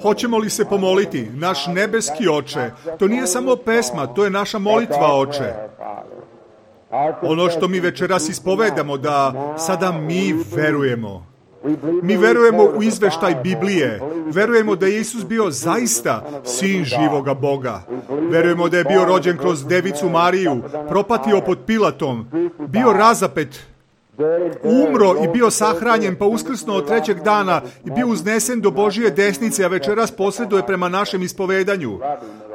Hoćemo li se pomoliti? Naš nebeski Oče, to nije samo pesma, to je naša molitva, Oče. Ono što mi večeras ispovedamo, da sada mi verujemo. Mi verujemo u izveštaj Biblije. Verujemo da je Isus bio zaista sin živoga Boga. Verujemo da je bio rođen kroz Devicu Mariju, propatio pod Pilatom, bio razapet, umro i bio sahranjen, pa uskrsnuo trećeg dana i bio uznesen do Božije desnice, a večeras posreduje prema našem ispovedanju.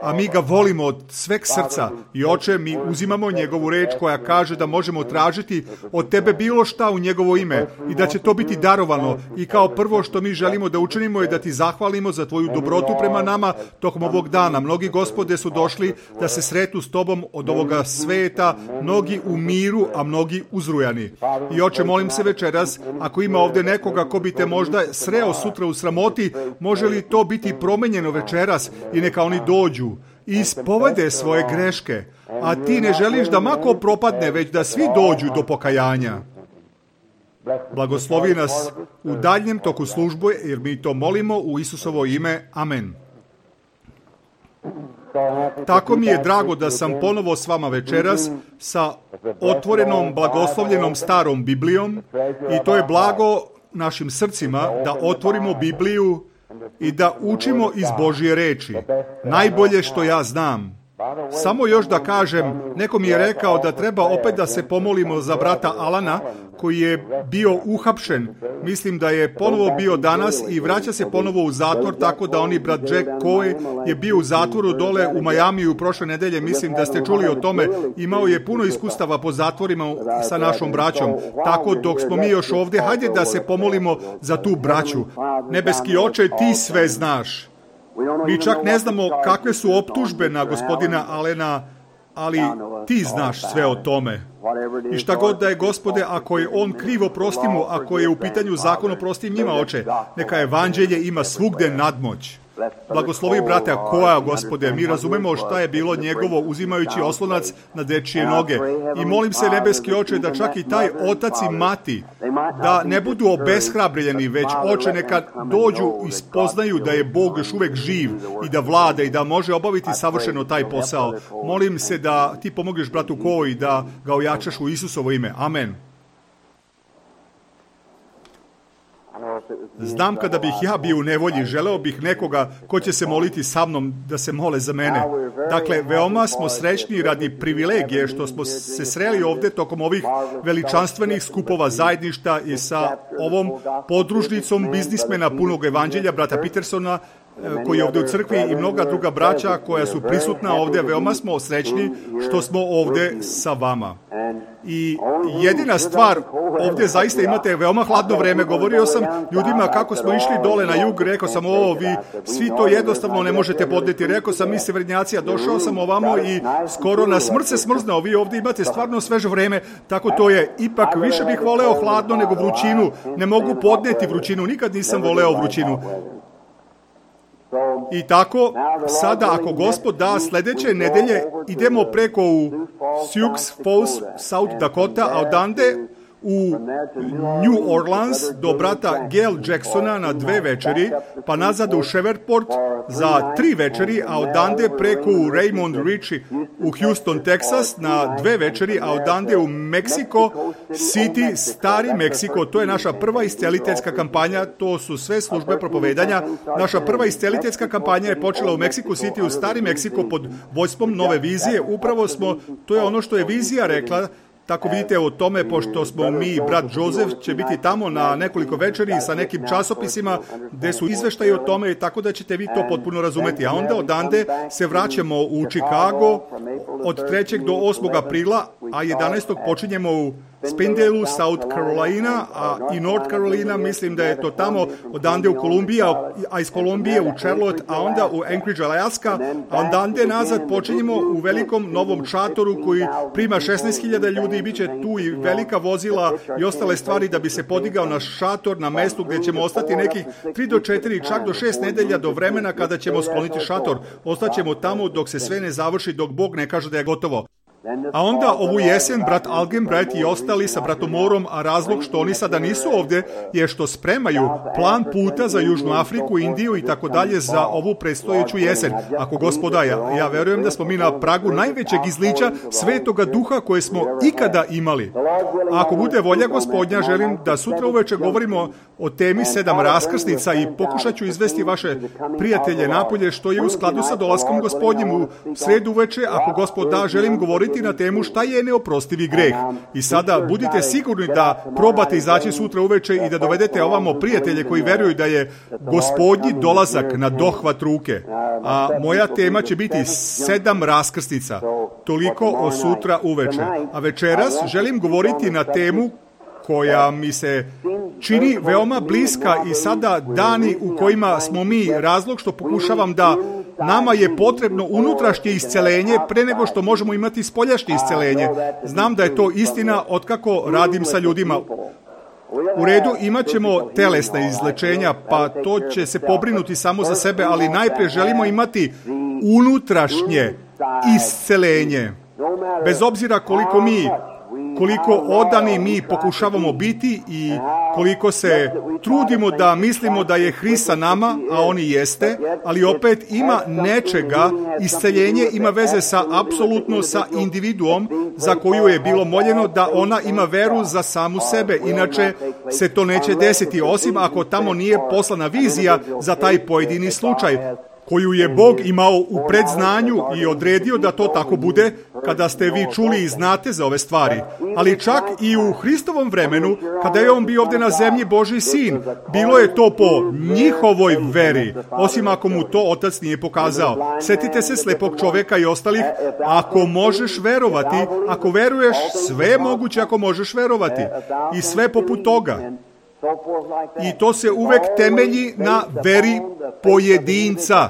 A mi ga volimo od sveg srca. I Oče, mi uzimamo njegovu reč koja kaže da možemo tražiti od tebe bilo šta u njegovo ime i da će to biti darovano. I kao prvo što mi želimo da učinimo je da ti zahvalimo za tvoju dobrotu prema nama tokom ovog dana. Mnogi, Gospode, su došli da se sretnu s tobom od ovoga sveta, mnogi u miru, a mnogi uzrujani. I Oče, molim se večeras, ako ima ovdje nekoga ko bi te možda sreo sutra u sramoti, može li to biti promenjeno večeras i neka oni dođu i ispovede svoje greške, a ti ne želiš da mako propadne, već da svi dođu do pokajanja. Blagoslovi nas u daljnjem toku službe, jer mi to molimo u Isusovo ime. Amen. Tako mi je drago da sam ponovo s vama večeras sa otvorenom, blagoslovljenom starom Biblijom, i to je blago našim srcima da otvorimo Bibliju i da učimo iz Božje reči. Najbolje što ja znam. Samo još da kažem, neko mi je rekao da treba opet da se pomolimo za brata Alana, koji je bio uhapšen. Mislim da je ponovo bio danas i vraća se ponovo u zatvor, tako da oni brat Jack Coy je bio u zatvoru dole u Majamiju prošle nedelje. Mislim da ste čuli o tome. Imao je puno iskustava po zatvorima sa našom braćom. Tako dok smo mi još ovdje, hajde da se pomolimo za tu braću. Nebeski Oče, ti sve znaš. Mi čak ne znamo kakve su optužbe na gospodina Alena, ali ti znaš sve o tome. I šta god da je, Gospode, ako je on krivo, prosti mu, ako je u pitanju zakon, oprosti njima, Oče. Neka evanđelje ima svugde nadmoć. Blagoslovi brata Koja, Gospode, mi razumemo šta je bilo njegovo uzimajući oslonac na dečije noge. I molim se, nebeski Oče, da čak i taj otac i mati, da ne budu obeshrabreni, već, Oče, neka dođu i spoznaju da je Bog još uvek živ i da vlada i da može obaviti savršeno taj posao. Molim se da ti pomogneš bratu Koji, da ga ojačaš u Isusovo ime. Amen. Znam kada bih ja bio u nevolji, želeo bih nekoga ko će se moliti sa mnom da se mole za mene. Dakle, veoma smo srećni radi privilegije što smo se sreli ovdje tokom ovih veličanstvenih skupova zajedništa i sa ovom podružnicom biznismena punog evanđelja, brata Petersona, koji je ovdje u crkvi, i mnoga druga braća koja su prisutna ovdje. Veoma smo srećni što smo ovdje sa vama. I jedina stvar, ovdje zaista imate veoma hladno vreme. Govorio sam ljudima kako smo išli dole na jug, rekao sam, vi svi to jednostavno ne možete podneti. Rekao sam, mi severnjaci, došao sam ovamo i skoro na smrt se smrznao. Vi ovdje imate stvarno sveže vreme, tako to je. Ipak više bih voleo hladno nego vrućinu. Ne mogu podneti vrućinu, nikad nisam voleo vrućinu. I tako, sada ako Gospod da, sljedeće nedelje idemo preko u Sioux Falls, South Dakota, a odande u New Orleans do brata Gail Jacksona na 2 večeri, pa nazad u Shreveport za 3 večeri, a odande preko u Raymond Ritchie u Houston, Texas na 2 večeri, a odande u Mexico City, Stari Meksiko. To je naša prva isceliteljska kampanja, to su sve službe propovedanja. Naša prva isceliteljska kampanja je počela u Mexico City, u Stari Meksiko, pod vođstvom Nove vizije. Upravo smo, to je ono što je vizija rekla, tako vidite o tome, pošto smo mi i brat Joseph će biti tamo na nekoliko večeri sa nekim časopisima gde su izveštaji o tome i tako da ćete vi to potpuno razumeti. A onda odande se vraćamo u Chicago od 3. do 8. aprila, a 11. počinjemo u Spindale, South Carolina, a i North Carolina, mislim da je to tamo, odande u Kolumbija, a iz Kolumbije u Charlotte, a onda u Anchorage, Alaska, a ondande nazad počinjemo u velikom novom šatoru koji prima 16.000 ljudi i bit će tu i velika vozila i ostale stvari da bi se podigao naš šator na mestu gdje ćemo ostati nekih 3 do 4, čak do 6 nedelja do vremena kada ćemo skloniti šator. Ostaćemo tamo dok se sve ne završi, dok Bog ne kaže da je gotovo. A onda ovu jesen brat Algenbright i ostali sa bratom Morom, a razlog što oni sada nisu ovdje je što spremaju plan puta za Južnu Afriku, Indiju i tako dalje za ovu predstojeću jesen. Ako Gospoda, ja verujem da smo mi na pragu najvećeg izlića Svetoga Duha koje smo ikada imali. A ako bude volja Gospodnja, želim da sutra uveče govorimo o temi 7 raskrsnica i pokušat ću izvesti vaše prijatelje napolje što je u skladu sa dolaskom Gospodnjim u sredu uveče. Ako Gospod da, želim govoriti na temu šta je neoprostivi greh. I sada budite sigurni da probate izaći sutra uveče i da dovedete ovamo prijatelje koji veruju da je Gospodnji dolazak na dohvat ruke. A moja tema će biti 7 raskrsnica. Toliko o sutra uveče. A večeras želim govoriti na temu koja mi se čini veoma bliska i sada dani u kojima smo mi, razlog što pokušavam da nama je potrebno unutrašnje iscelenje pre nego što možemo imati spoljašnje iscelenje. Znam da je to istina otkako radim sa ljudima. U redu, imat ćemo telesna izlečenja, pa to će se pobrinuti samo za sebe, ali najprije želimo imati unutrašnje iscelenje. Bez obzira koliko odani mi pokušavamo biti i koliko se trudimo da mislimo da je Hrist sa nama, a on i jeste, ali opet ima nečega, isceljenje ima veze sa apsolutno sa individuom za koju je bilo moljeno da ona ima veru za samu sebe, inače se to neće desiti, osim ako tamo nije poslana vizija za taj pojedini slučaj, koju je Bog imao u predznanju i odredio da to tako bude kada ste vi čuli i znate za ove stvari. Ali čak i u Hristovom vremenu, kada je on bio ovdje na zemlji Božji sin, bilo je to po njihovoj veri, osim ako mu to otac nije pokazao. Sjetite se slepog čovjeka i ostalih, ako možeš verovati, ako veruješ, sve je moguće ako možeš verovati. I sve poput toga. I to se uvek temelji na veri pojedinca.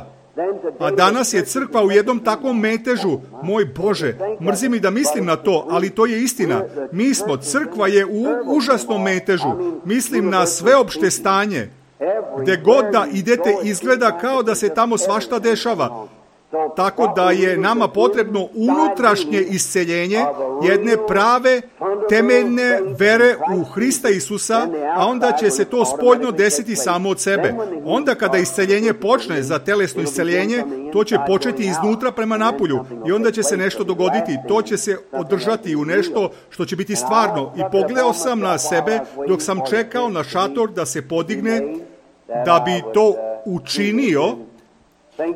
A danas je crkva u jednom takvom metežu. Moj Bože, mrzi mi da mislim na to, ali to je istina. Crkva je u užasnom metežu. Mislim na sveopšte stanje. Gde god da idete izgleda kao da se tamo svašta dešava. Tako da je nama potrebno unutrašnje isceljenje jedne prave, temeljne vere u Hrista Isusa, a onda će se to spoljno desiti samo od sebe. Onda kada isceljenje počne za telesno isceljenje, to će početi iznutra prema napolju i onda će se nešto dogoditi. To će se održati u nešto što će biti stvarno. I pogledao sam na sebe dok sam čekao na šator da se podigne, da bi to učinio.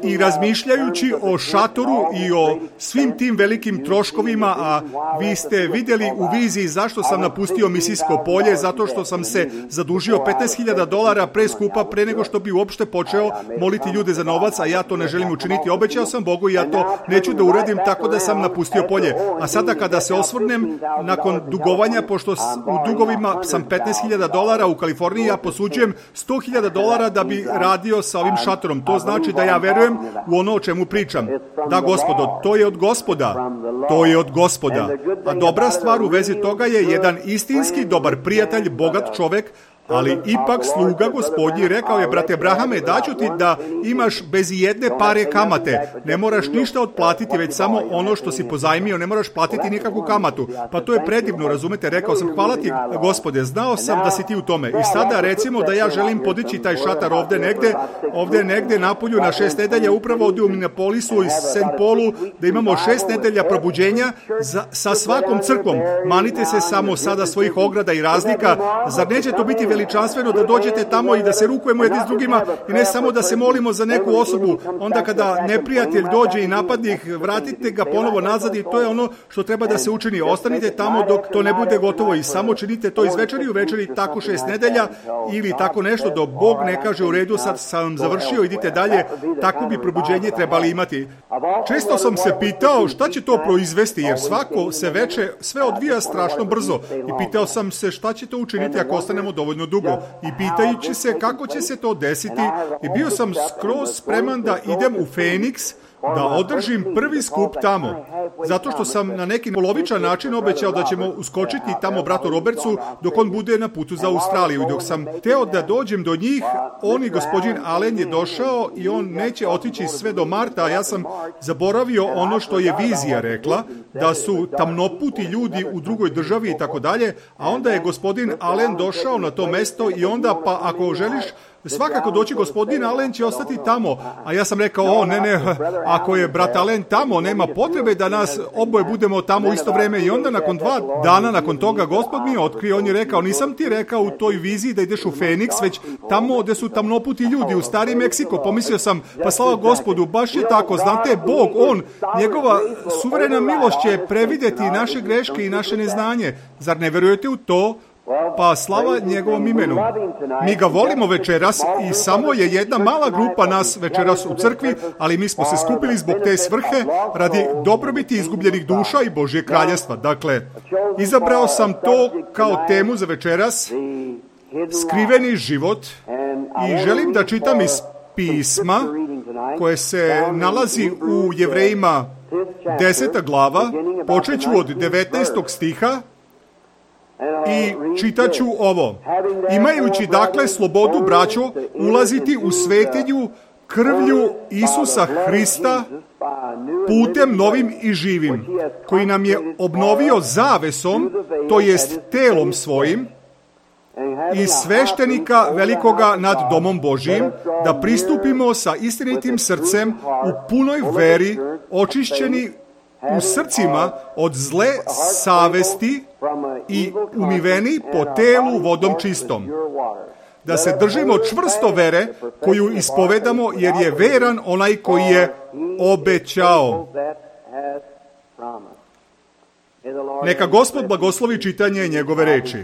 I razmišljajući o šatoru i o svim tim velikim troškovima, a vi ste vidjeli u viziji zašto sam napustio misijsko polje, zato što sam se zadužio $15,000 preskupa pre nego što bi uopšte počeo moliti ljude za novac, a ja to ne želim učiniti. Obećao sam Bogu i ja to neću da uradim, tako da sam napustio polje. A sada kada se osvrnem nakon dugovanja, pošto u dugovima sam $15,000 u Kaliforniji, ja posuđujem $100,000 da bi radio sa ovim šatorom. To znači da ja verujem u ono o čemu pričam. Da, Gospodo, to je od Gospoda. To je od Gospoda. A dobra stvar u vezi toga je jedan istinski dobar prijatelj, bogat čovek, ali ipak sluga Gospodnji rekao je, brate Abrahame, daću ti da imaš bez jedne pare kamate. Ne moraš ništa otplatiti, već samo ono što si pozajmio, ne moraš platiti nikakvu kamatu. Pa to je predivno, razumete? Rekao sam, hvala ti, Gospode, znao sam da si ti u tome. I sada recimo da ja želim podići taj šatar ovdje negde napolju na 6 nedelja, upravo ovdje u Minneapolisu i St. Paulu, da imamo 6 nedelja probuđenja sa svakom crkvom. Manite se samo sada svojih ograda i razlika. Zar neće to biti veličanstveno da dođete tamo i da se rukujemo jedni s drugima i ne samo da se molimo za neku osobu, onda kada neprijatelj dođe i napadne ih, vratite ga ponovo nazad i to je ono što treba da se učini. Ostanite tamo dok to ne bude gotovo i samo činite to iz večeri u večeri, tako 6 nedelja ili tako nešto, dok Bog ne kaže u redu, sad sam završio, idite dalje. Tako bi probuđenje trebali imati. Često sam se pitao šta će to proizvesti, jer svako se veče sve odvija strašno brzo. I pitao sam se šta će to učiniti ako ostanemo dovoljno dugo. I pitajući se kako će se to desiti, i bio sam skroz spreman da idem u Phoenix, da održim prvi skup tamo. Zato što sam na neki polovičan način obećao da ćemo uskočiti tamo bratu Robertsu dok on bude na putu za Australiju. I dok sam teo da dođem do njih, on i gospodin Allen je došao i on neće otići sve do marta, a ja sam zaboravio ono što je vizija rekla, da su tamnoputi ljudi u drugoj državi i tako dalje, a onda je gospodin Allen došao na to mesto i onda pa ako želiš svakako doći, gospodin Allen će ostati tamo. A ja sam rekao, ne, ako je brat Allen tamo, nema potrebe da nas oboje budemo tamo u isto vreme. I onda nakon 2 dana nakon toga Gospod mi je otkrio, on je rekao, nisam ti rekao u toj viziji da ideš u Phoenix, već tamo gde su tamnoputi ljudi, u stari Meksiko. Pomislio sam, pa slava Gospodu, baš je tako, znate, Bog, njegova suverena milost će prevideti naše greške i naše neznanje. Zar ne verujete u to? Pa slava njegovom imenu. Mi ga volimo večeras i samo je jedna mala grupa nas večeras u crkvi, ali mi smo se skupili zbog te svrhe radi dobrobiti izgubljenih duša i Božje kraljestva. Dakle, izabrao sam to kao temu za večeras, skriveni život, i želim da čitam iz pisma koje se nalazi u Jevrejima 10. glava, počeću od 19. stiha, i čitaću ovo. Imajući dakle slobodu, braćo, ulaziti u svetinju krvlju Isusa Hrista putem novim i živim, koji nam je obnovio zavesom, to jest telom svojim, i sveštenika velikoga nad domom Božijim, da pristupimo sa istinitim srcem u punoj veri, očišćeni u srcima od zle savesti i umiveni po telu vodom čistom. Da se držimo čvrsto vere koju ispovedamo, jer je veran onaj koji je obećao. Neka Gospod blagoslovi čitanje njegove reči.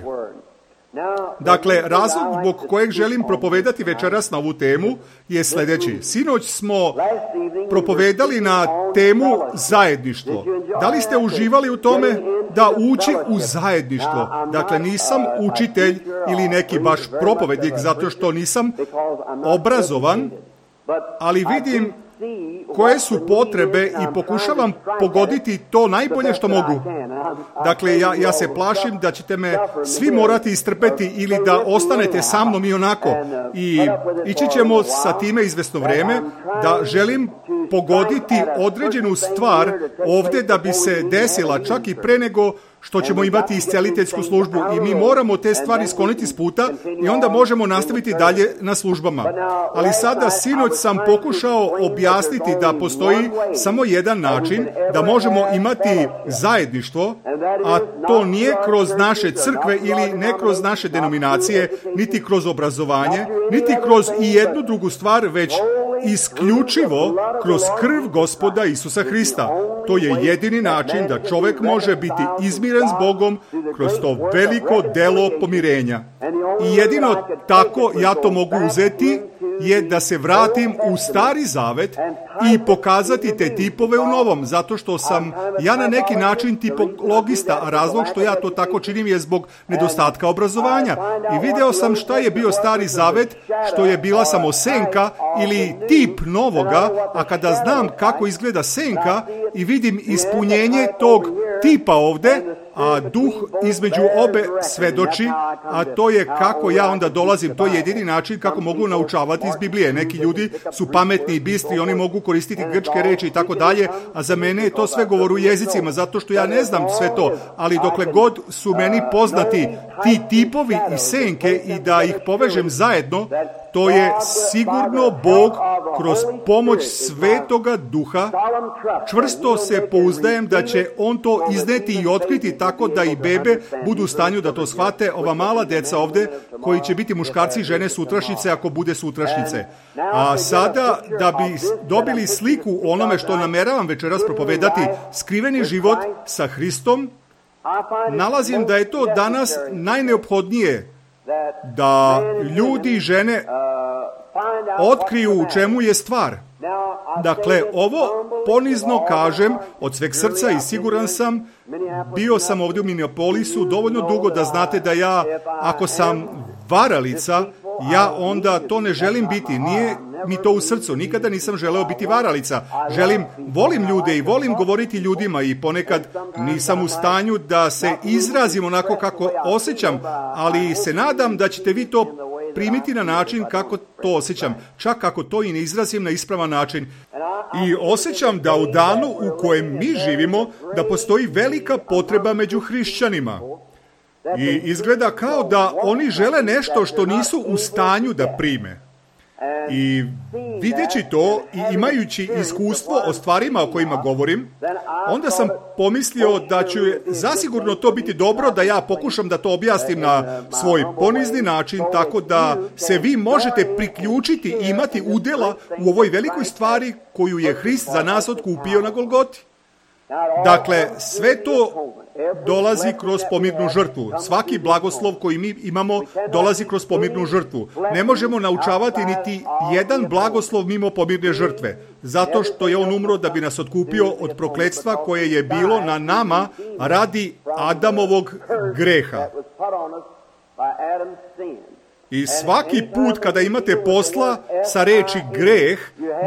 Dakle, razlog zbog kojeg želim propovedati večeras na ovu temu je sljedeći. Sinoć smo propovedali na temu zajedništvo. Da li ste uživali u tome da ući u zajedništvo? Dakle, nisam učitelj ili neki baš propovednik zato što nisam obrazovan, ali vidim koje su potrebe i pokušavam pogoditi to najbolje što mogu. Dakle, ja se plašim da ćete me svi morati istrpeti ili da ostanete sa mnom i onako. I ići ćemo sa time izvesno vreme, da želim pogoditi određenu stvar ovdje da bi se desila čak i pre nego što ćemo imati isceliteljsku službu, i mi moramo te stvari skloniti s puta i onda možemo nastaviti dalje na službama. Ali sada, sinoć sam pokušao objasniti da postoji samo jedan način da možemo imati zajedništvo, a to nije kroz naše crkve ili ne kroz naše denominacije, niti kroz obrazovanje, niti kroz i jednu drugu stvar, već isključivo kroz krv Gospoda Isusa Hrista. To je jedini način da čovjek može biti izmiren s Bogom kroz to veliko delo pomirenja. I jedino tako ja to mogu uzeti je da se vratim u Stari Zavet i pokazati te tipove u Novom, zato što sam ja na neki način tipologista, a razlog što ja to tako činim je zbog nedostatka obrazovanja. I video sam šta je bio Stari Zavet, što je bila samo senka ili tip novoga, a kada znam kako izgleda senka i vidim ispunjenje tog tipa ovde, a duh između obe svedoči, a to je kako ja onda dolazim, to je jedini način kako mogu naučavati iz Biblije. Neki ljudi su pametni i bistri, oni mogu koristiti grčke reči i tako dalje, a za mene je to sve govor u jezicima, zato što ja ne znam sve to, ali dokle god su meni poznati ti tipovi i senke i da ih povežem zajedno, to je sigurno Bog kroz pomoć Svetoga Duha. Čvrsto se pouzdajem da će On to izneti i otkriti tako da i bebe budu u stanju da to shvate, ova mala deca ovde koji će biti muškarci i žene sutrašnjice ako bude sutrašnjice. A sada da bi dobili sliku o onome što nameravam večeras propovedati, skriveni život sa Hristom, nalazim da je to danas najneophodnije da ljudi i žene otkriju u čemu je stvar. Dakle, ovo ponizno kažem od sveg srca i siguran sam, bio sam ovdje u Minneapolisu dovoljno dugo da znate da ja, ako sam varalica, ja onda to ne želim biti, nije mi to u srcu, nikada nisam želeo biti varalica. Volim ljude i volim govoriti ljudima i ponekad nisam u stanju da se izrazim onako kako osjećam, ali se nadam da ćete vi to primiti na način kako to osjećam, čak ako to i ne izrazim na ispravan način. I osjećam da u danu u kojem mi živimo, da postoji velika potreba među hrišćanima. I izgleda kao da oni žele nešto što nisu u stanju da prime. I videći to i imajući iskustvo o stvarima o kojima govorim, onda sam pomislio da će zasigurno to biti dobro da ja pokušam da to objasnim na svoj ponizni način, tako da se vi možete priključiti i imati udjela u ovoj velikoj stvari koju je Hrist za nas otkupio na Golgoti. Dakle, sve to dolazi kroz pomirnu žrtvu. Svaki blagoslov koji mi imamo dolazi kroz pomirnu žrtvu. Ne možemo naučavati niti jedan blagoslov mimo pomirne žrtve, zato što je on umro da bi nas otkupio od prokletstva koje je bilo na nama radi Adamovog greha. I svaki put kada imate posla sa reči greh,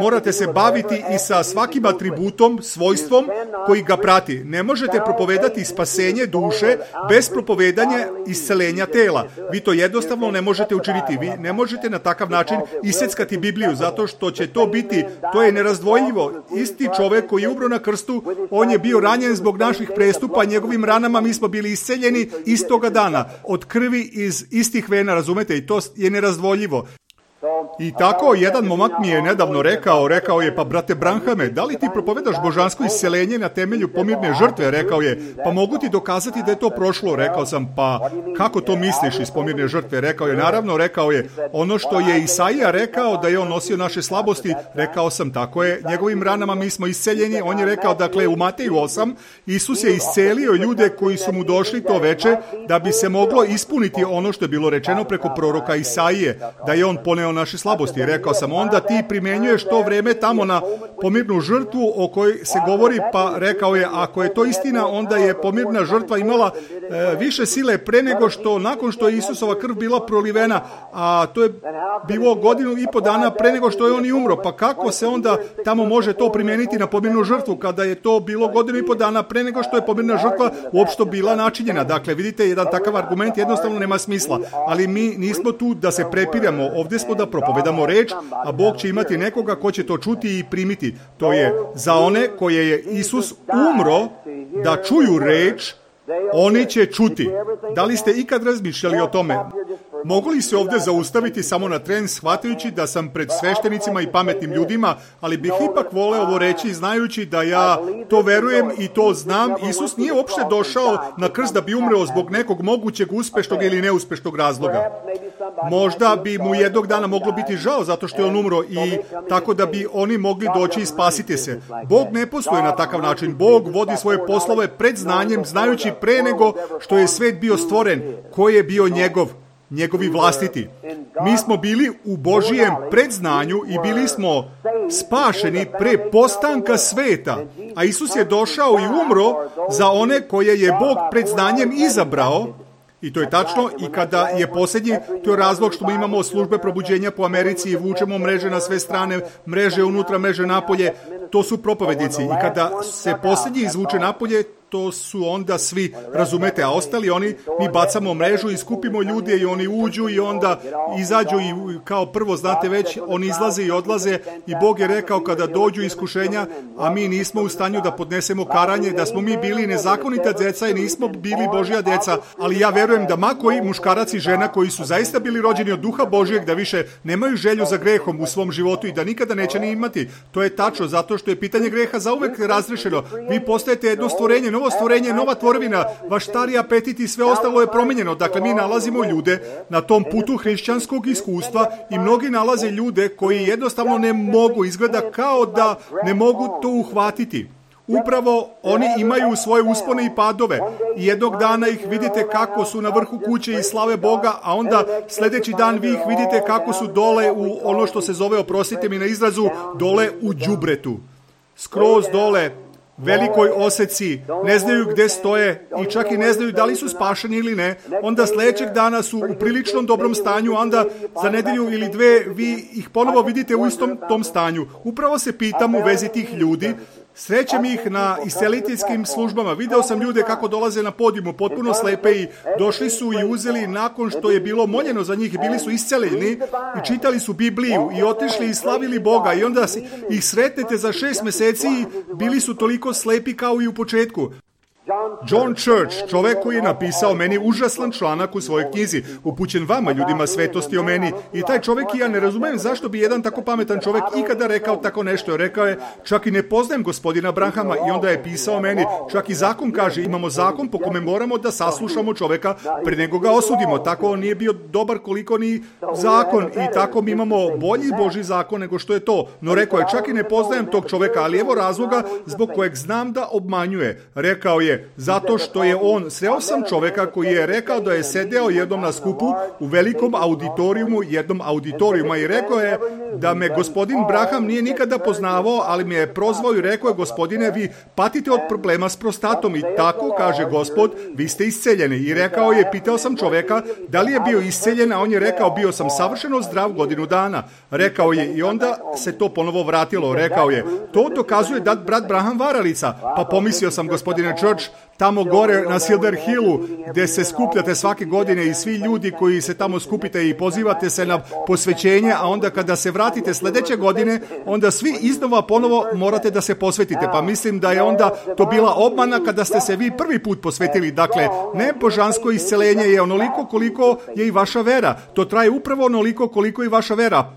morate se baviti i sa svakim atributom, svojstvom koji ga prati. Ne možete propovedati spasenje duše bez propovedanja iscelenja tela. Vi to jednostavno ne možete učiniti. Vi ne možete na takav način iseckati Bibliju, zato što će to biti, to je nerazdvojljivo. Isti čovek koji je umro na krstu, on je bio ranjen zbog naših prestupa, njegovim ranama mi smo bili isceljeni istoga dana. Od krvi iz istih vena, razumete, i to je nerazdvojljivo. I tako jedan momak mi je nedavno rekao je, pa brate Branhame, da li ti propovedaš božansko isceljenje na temelju pomirne žrtve? Rekao je, pa mogu ti dokazati da je to prošlo. Rekao sam, pa kako to misliš iz pomirne žrtve? Rekao je, naravno, rekao je, ono što je Isaija rekao da je on nosio naše slabosti, rekao sam, tako je, njegovim ranama mi smo isceljeni. On je rekao, dakle, u Mateju 8, Isus je iscelio ljude koji su mu došli to veče da bi se moglo ispuniti ono što je bilo rečeno preko proroka Isaije, da je on poneo naše slabosti. Rekao sam, onda ti primenjuješ to vreme tamo na pomirnu žrtvu o kojoj se govori, pa rekao je, ako je to istina, onda je pomirna žrtva imala više sile pre nego što, nakon što je Isusova krv bila prolivena, a to je bilo 1.5 godina dana pre nego što je on i umro. Pa kako se onda tamo može to primijeniti na pomirnu žrtvu, kada je to bilo 1.5 dana pre nego što je pomirna žrtva uopšte bila načinjena? Dakle, vidite, jedan takav argument jednostavno nema smisla, ali mi nismo tu da se prepiramo, ovdje smo da propovedamo reč, a Bog će imati nekoga ko će to čuti i primiti. To je za one koje je Isus umro da čuju reč, oni će čuti. Da li ste ikad razmišljali o tome? Mogu li se ovdje zaustaviti samo na tren, shvatajući da sam pred sveštenicima i pametnim ljudima, ali bih ipak voleo ovo reći, znajući da ja to verujem i to znam. Isus nije uopšte došao na krst da bi umreo zbog nekog mogućeg uspešnog ili neuspešnog razloga. Možda bi mu jednog dana moglo biti žao zato što je on umro i tako da bi oni mogli doći i spasiti se. Bog ne postoji na takav način. Bog vodi svoje poslove pred znanjem, znajući pre nego što je svet bio stvoren, ko je bio njegovi vlastiti. Mi smo bili u Božijem predznanju i bili smo spašeni pre postanka sveta, a Isus je došao i umro za one koje je Bog pred znanjem izabrao. I to je tačno, i kada je posljednji, to je razlog što mi imamo službe probuđenja po Americi i vučemo mreže na sve strane, mreže unutra, mreže napolje, to su propovednici. I kada se posljednji izvuče napolje, to su onda svi, razumete, a ostali oni, mi bacamo mrežu i skupimo ljude i oni uđu i onda izađu i kao prvo, znate već, oni izlaze i odlaze i Bog je rekao kada dođu iskušenja, a mi nismo u stanju da podnesemo karanje, da smo mi bili nezakonita djeca i nismo bili Božja djeca, ali ja verujem da ma koji muškarac i žena koji su zaista bili rođeni od Duha Božjeg, da više nemaju želju za grehom u svom životu i da nikada neće ni imati. To je tačno, zato što je pitanje greha zauvek razrešeno. Vi postajete jedno stvorenje, novo stvorenje, nova tvorevina, vaš stari apetit i sve ostalo je promijenjeno. Dakle, mi nalazimo ljude na tom putu hrišćanskog iskustva i mnogi nalaze ljude koji jednostavno ne mogu, izgleda kao da ne mogu to uhvatiti. Upravo oni imaju svoje uspone i padove i jednog dana ih vidite kako su na vrhu kuće i slave Boga, a onda sljedeći dan vi ih vidite kako su dole u ono što se zove, oprostite mi na izrazu, dole u đubretu. Skroz dole, velikoj oseci, ne znaju gdje stoje i čak i ne znaju da li su spašeni ili ne. Onda sljedećeg dana su u priličnom dobrom stanju, onda za nedelju ili dve vi ih ponovo vidite u istom tom stanju. Upravo se pitam u vezi tih ljudi. Srećem ih na isceliteljskim službama. Video sam ljude kako dolaze na podijumu, potpuno slepe i došli su i uzeli nakon što je bilo moljeno za njih, bili su isceljeni i čitali su Bibliju i otišli i slavili Boga i onda ih sretnete za 6 mjeseci i bili su toliko slepi kao i u početku. John Church, čovjek koji je napisao meni užasan članak u svojoj knjizi, upućen vama, ljudima svetosti, o meni. I taj čovjek, ja ne razumijem zašto bi jedan tako pametan čovjek ikada rekao tako nešto. Rekao je, čak i ne poznajem gospodina Branhama, i onda je pisao meni, čak i zakon kaže, imamo zakon po kome moramo da saslušamo čovjeka prije nego ga osudimo. Tako on nije bio dobar koliko ni zakon i tako mi imamo bolji Božji zakon nego što je to. No rekao je, čak i ne poznajem tog čovjeka, ali evo razloga zbog kojeg znam da obmanjuje. Rekao je, zato što je on, sreo sam čovjeka koji je rekao da je sedeo jednom na skupu u velikom auditorijumu, jednom auditorijuma i rekao je da me gospodin Branham nije nikada poznavao, ali me je prozvao i rekao je, gospodine, vi patite od problema s prostatom i tako, kaže Gospod, vi ste isceljeni. I rekao je, pitao sam čovjeka da li je bio isceljen, a on je rekao, bio sam savršeno zdrav godinu dana. Rekao je i onda se to ponovo vratilo. Rekao je, to dokazuje da brat Branham varalica. Pa pomislio sam, gospodine Church, tamo gore na Silver Hillu, gdje se skupljate svake godine i svi ljudi koji se tamo skupite i pozivate se na posvećenje, a onda kada se vratite sljedeće godine, onda svi iznova ponovo morate da se posvetite. Pa mislim da je onda to bila obmana kada ste se vi prvi put posvetili. Dakle, ne božansko isceljenje je onoliko koliko je i vaša vera. To traje upravo onoliko koliko i vaša vera.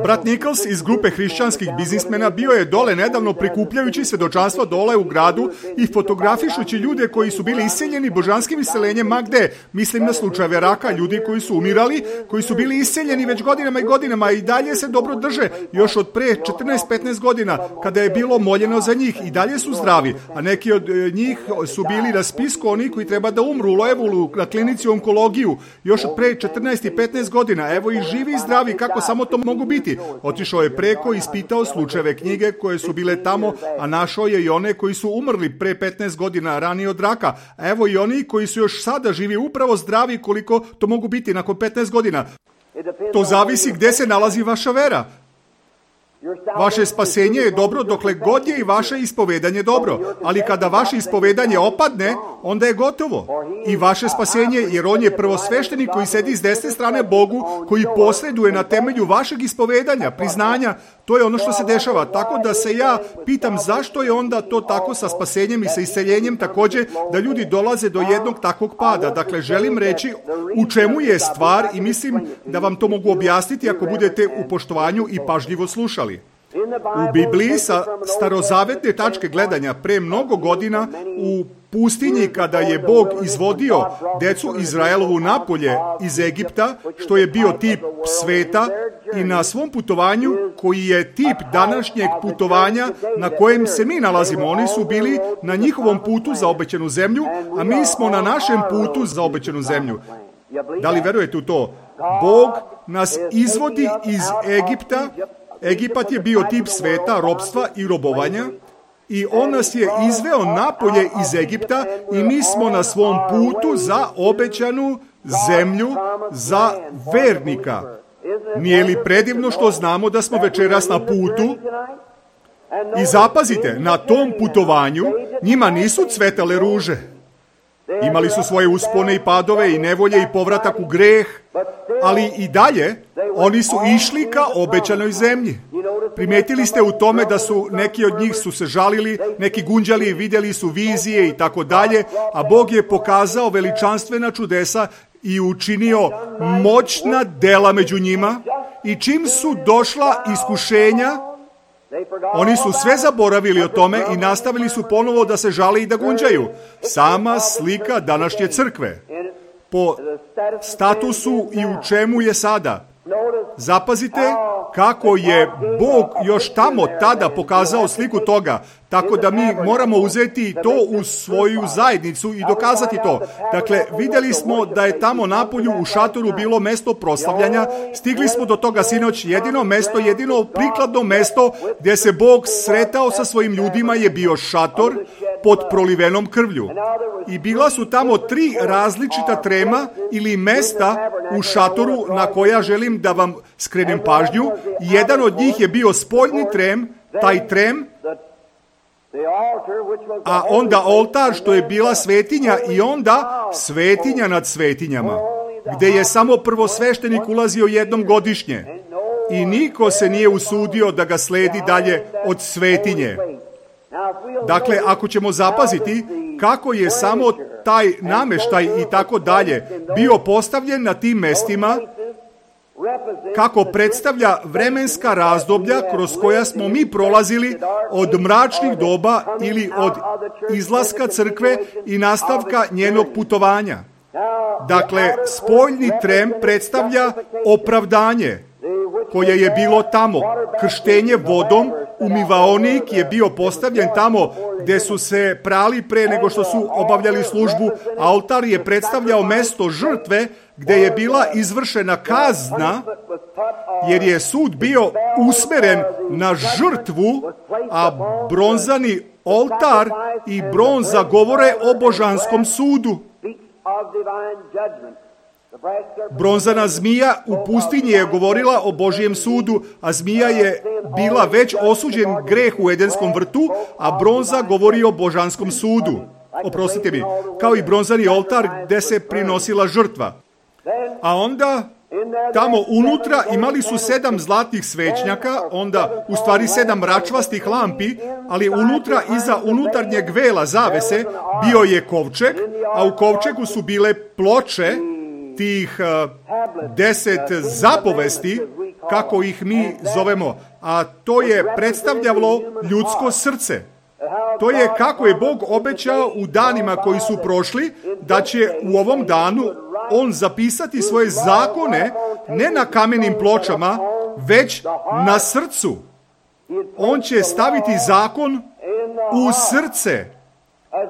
Brat Nichols iz grupe hrišćanskih biznismena bio je dole nedavno prikupljajući svjedočanstva dole u gradu i fotografišući ljude koji su bili isceljeni božanskim isceljenjem ma gde. Mislim na slučajeve raka, ljudi koji su umirali, koji su bili isceljeni već godinama i godinama i dalje se dobro drže. Još od pre 14-15 godina kada je bilo moljeno za njih i dalje su zdravi, a neki od njih su bili na spisku onih koji treba da umru u Loevulu na klinici onkologiju još od pre 14 i 15 godina. Evo i živi i zdravi kako samo to mogu biti. Otišao je preko i ispitao slučajeve knjige koje su bile tamo, a našao je i one koji su umrli pre 15 godina ranije od raka. A evo i oni koji su još sada živi upravo zdravi koliko to mogu biti nakon 15 godina. To zavisi gdje se nalazi vaša vera. Vaše spasenje je dobro dokle god je i vaše ispovedanje dobro, ali kada vaše ispovedanje opadne, onda je gotovo. I vaše spasenje, jer on je prvosveštenik koji sedi s desne strane Bogu, koji posreduje na temelju vašeg ispovedanja, priznanja, to je ono što se dešava. Tako da se ja pitam zašto je onda to tako sa spasenjem i sa isceljenjem također da ljudi dolaze do jednog takvog pada. Dakle, želim reći u čemu je stvar i mislim da vam to mogu objasniti ako budete u poštovanju i pažljivo slušali. U Bibliji sa starozavetne tačke gledanja pre mnogo godina u pustinji kada je Bog izvodio decu Izraelovu napolje iz Egipta, što je bio tip sveta, i na svom putovanju koji je tip današnjeg putovanja na kojem se mi nalazimo. Oni su bili na njihovom putu za obećanu zemlju, a mi smo na našem putu za obećanu zemlju. Da li verujete u to? Bog nas izvodi iz Egipta. Egipat je bio tip sveta, ropstva i robovanja i on nas je izveo napolje iz Egipta i mi smo na svom putu za obećanu zemlju za vernika. Nije li predivno što znamo da smo večeras na putu? I zapazite, na tom putovanju Njima nisu cvetale ruže. Imali su svoje uspone i padove i nevolje i povratak u greh, ali i dalje oni su išli ka obećanoj zemlji. Primetili ste u tome da su neki od njih su se žalili, neki gunđali, vidjeli su vizije i tako dalje, a Bog je pokazao veličanstvena čudesa i učinio moćna dela među njima, i čim su došla iskušenja, oni su sve zaboravili o tome i nastavili su ponovo da se žale i da gunđaju. Sama slika današnje crkve po statusu i u čemu je sada. Zapazite kako je Bog još tamo tada pokazao sliku toga, tako da mi moramo uzeti to u svoju zajednicu i dokazati to. Dakle, vidjeli smo da je tamo napolju u šatoru bilo mesto proslavljanja, stigli smo do toga sinoć, jedino prikladno mesto gdje se Bog sretao sa svojim ljudima je bio šator pod prolivenom krvlju. I bila su tamo 3 različita trema ili mesta u šatoru na koja želim da vam skrenem pažnju. Jedan od njih je bio spoljni trem, taj trem, a onda oltar što je bila svetinja i onda svetinja nad svetinjama, gdje je samo prvosveštenik ulazio jednom godišnje i niko se nije usudio da ga sledi dalje od svetinje. Dakle, ako ćemo zapaziti kako je samo taj nameštaj i tako dalje bio postavljen na tim mestima, kako predstavlja vremenska razdoblja kroz koja smo mi prolazili od mračnih doba ili od izlaska crkve i nastavka njenog putovanja. Dakle, spoljni trem predstavlja opravdanje koje je bilo tamo. Krštenje vodom, umivaonik je bio postavljen tamo gdje su se prali pre nego što su obavljali službu. Altar je predstavljao mesto žrtve gdje je bila izvršena kazna, jer je sud bio usmeren na žrtvu, a bronzani oltar i bronza govore o božanskom sudu. Bronzana zmija u pustinji je govorila o Božijem sudu, a zmija je bila već osuđen greh u Edenskom vrtu, a bronza govori o božanskom sudu. Oprostite mi, kao i bronzani oltar gdje se prinosila žrtva. A onda tamo unutra imali su 7 zlatnih svećnjaka, onda u stvari 7 mračvastih lampi, ali unutra iza unutarnjeg vela zavese bio je kovčeg, a u kovčegu su bile ploče tih 10 zapovesti, kako ih mi zovemo, a to je predstavljalo ljudsko srce. To je kako je Bog obećao u danima koji su prošli, da će u ovom danu on zapisati svoje zakone ne na kamenim pločama, već na srcu. On će staviti zakon u srce.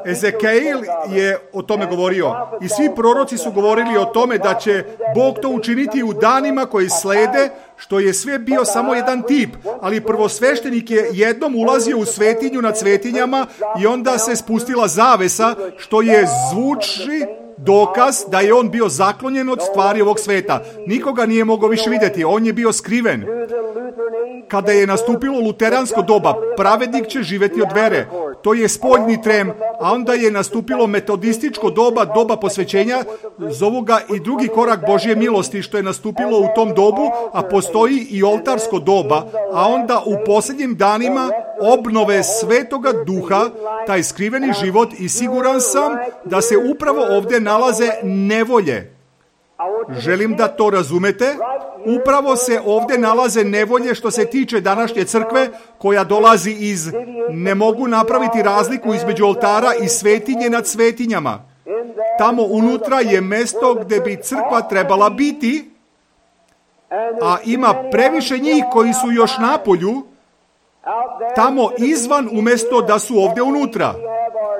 Ezekiel je o tome govorio i svi proroci su govorili o tome da će Bog to učiniti u danima koji slede, što je sve bio samo jedan tip, ali prvosveštenik je jednom ulazio u svetinju nad svetinjama i onda se spustila zavesa, što je zvuči dokaz da je on bio zaklonjen od stvari ovog sveta. Nikoga nije mogao više vidjeti, on je bio skriven. Kada je nastupilo luteransko doba, pravednik će živjeti od vere. To je spoljni trem, a onda je nastupilo metodističko doba, doba posvećenja, zovu ga i drugi korak Božje milosti, što je nastupilo u tom dobu, a postoji i oltarsko doba, a onda u posljednjim danima obnove Svetoga Duha, taj skriveni život, i siguran sam da se upravo ovdje nalaze nevolje. Želim da to razumete. Upravo se ovdje nalaze nevolje što se tiče današnje crkve, koja dolazi iz ne mogu napraviti razliku između oltara i svetinje nad svetinjama. Tamo unutra je mjesto gdje bi crkva trebala biti, a ima previše njih koji su još napolju, tamo izvan umjesto da su ovdje unutra.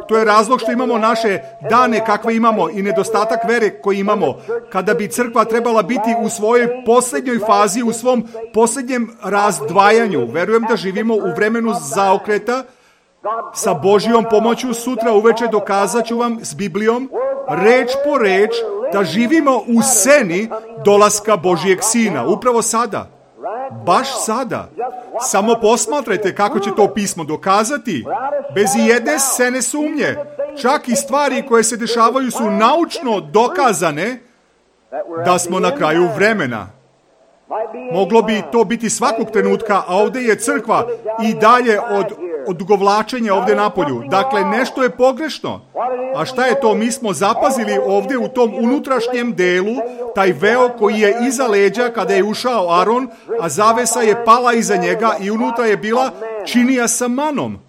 To je razlog što imamo naše dane kakve imamo i nedostatak vere koji imamo. Kada bi crkva trebala biti u svojoj posljednjoj fazi, u svom posljednjem razdvajanju. Verujem da živimo u vremenu zaokreta. Sa Božjom pomoću sutra uveče dokazat ću vam s Biblijom, reč po reč, da živimo u seni dolaska Božjeg Sina. Upravo sada. Baš sada. Samo posmatrajte kako će to pismo dokazati, bez ijedne scene sumnje. Čak i stvari koje se dešavaju su naučno dokazane da smo na kraju vremena. Moglo bi to biti svakog trenutka, a ovdje je crkva i dalje od odugovlačenja ovdje napolju. Dakle, nešto je pogrešno. A šta je to? Mi smo zapazili ovdje u tom unutrašnjem delu, taj veo koji je iza leđa kada je ušao Aron, a zavesa je pala iza njega i unutra je bila činija sa manom,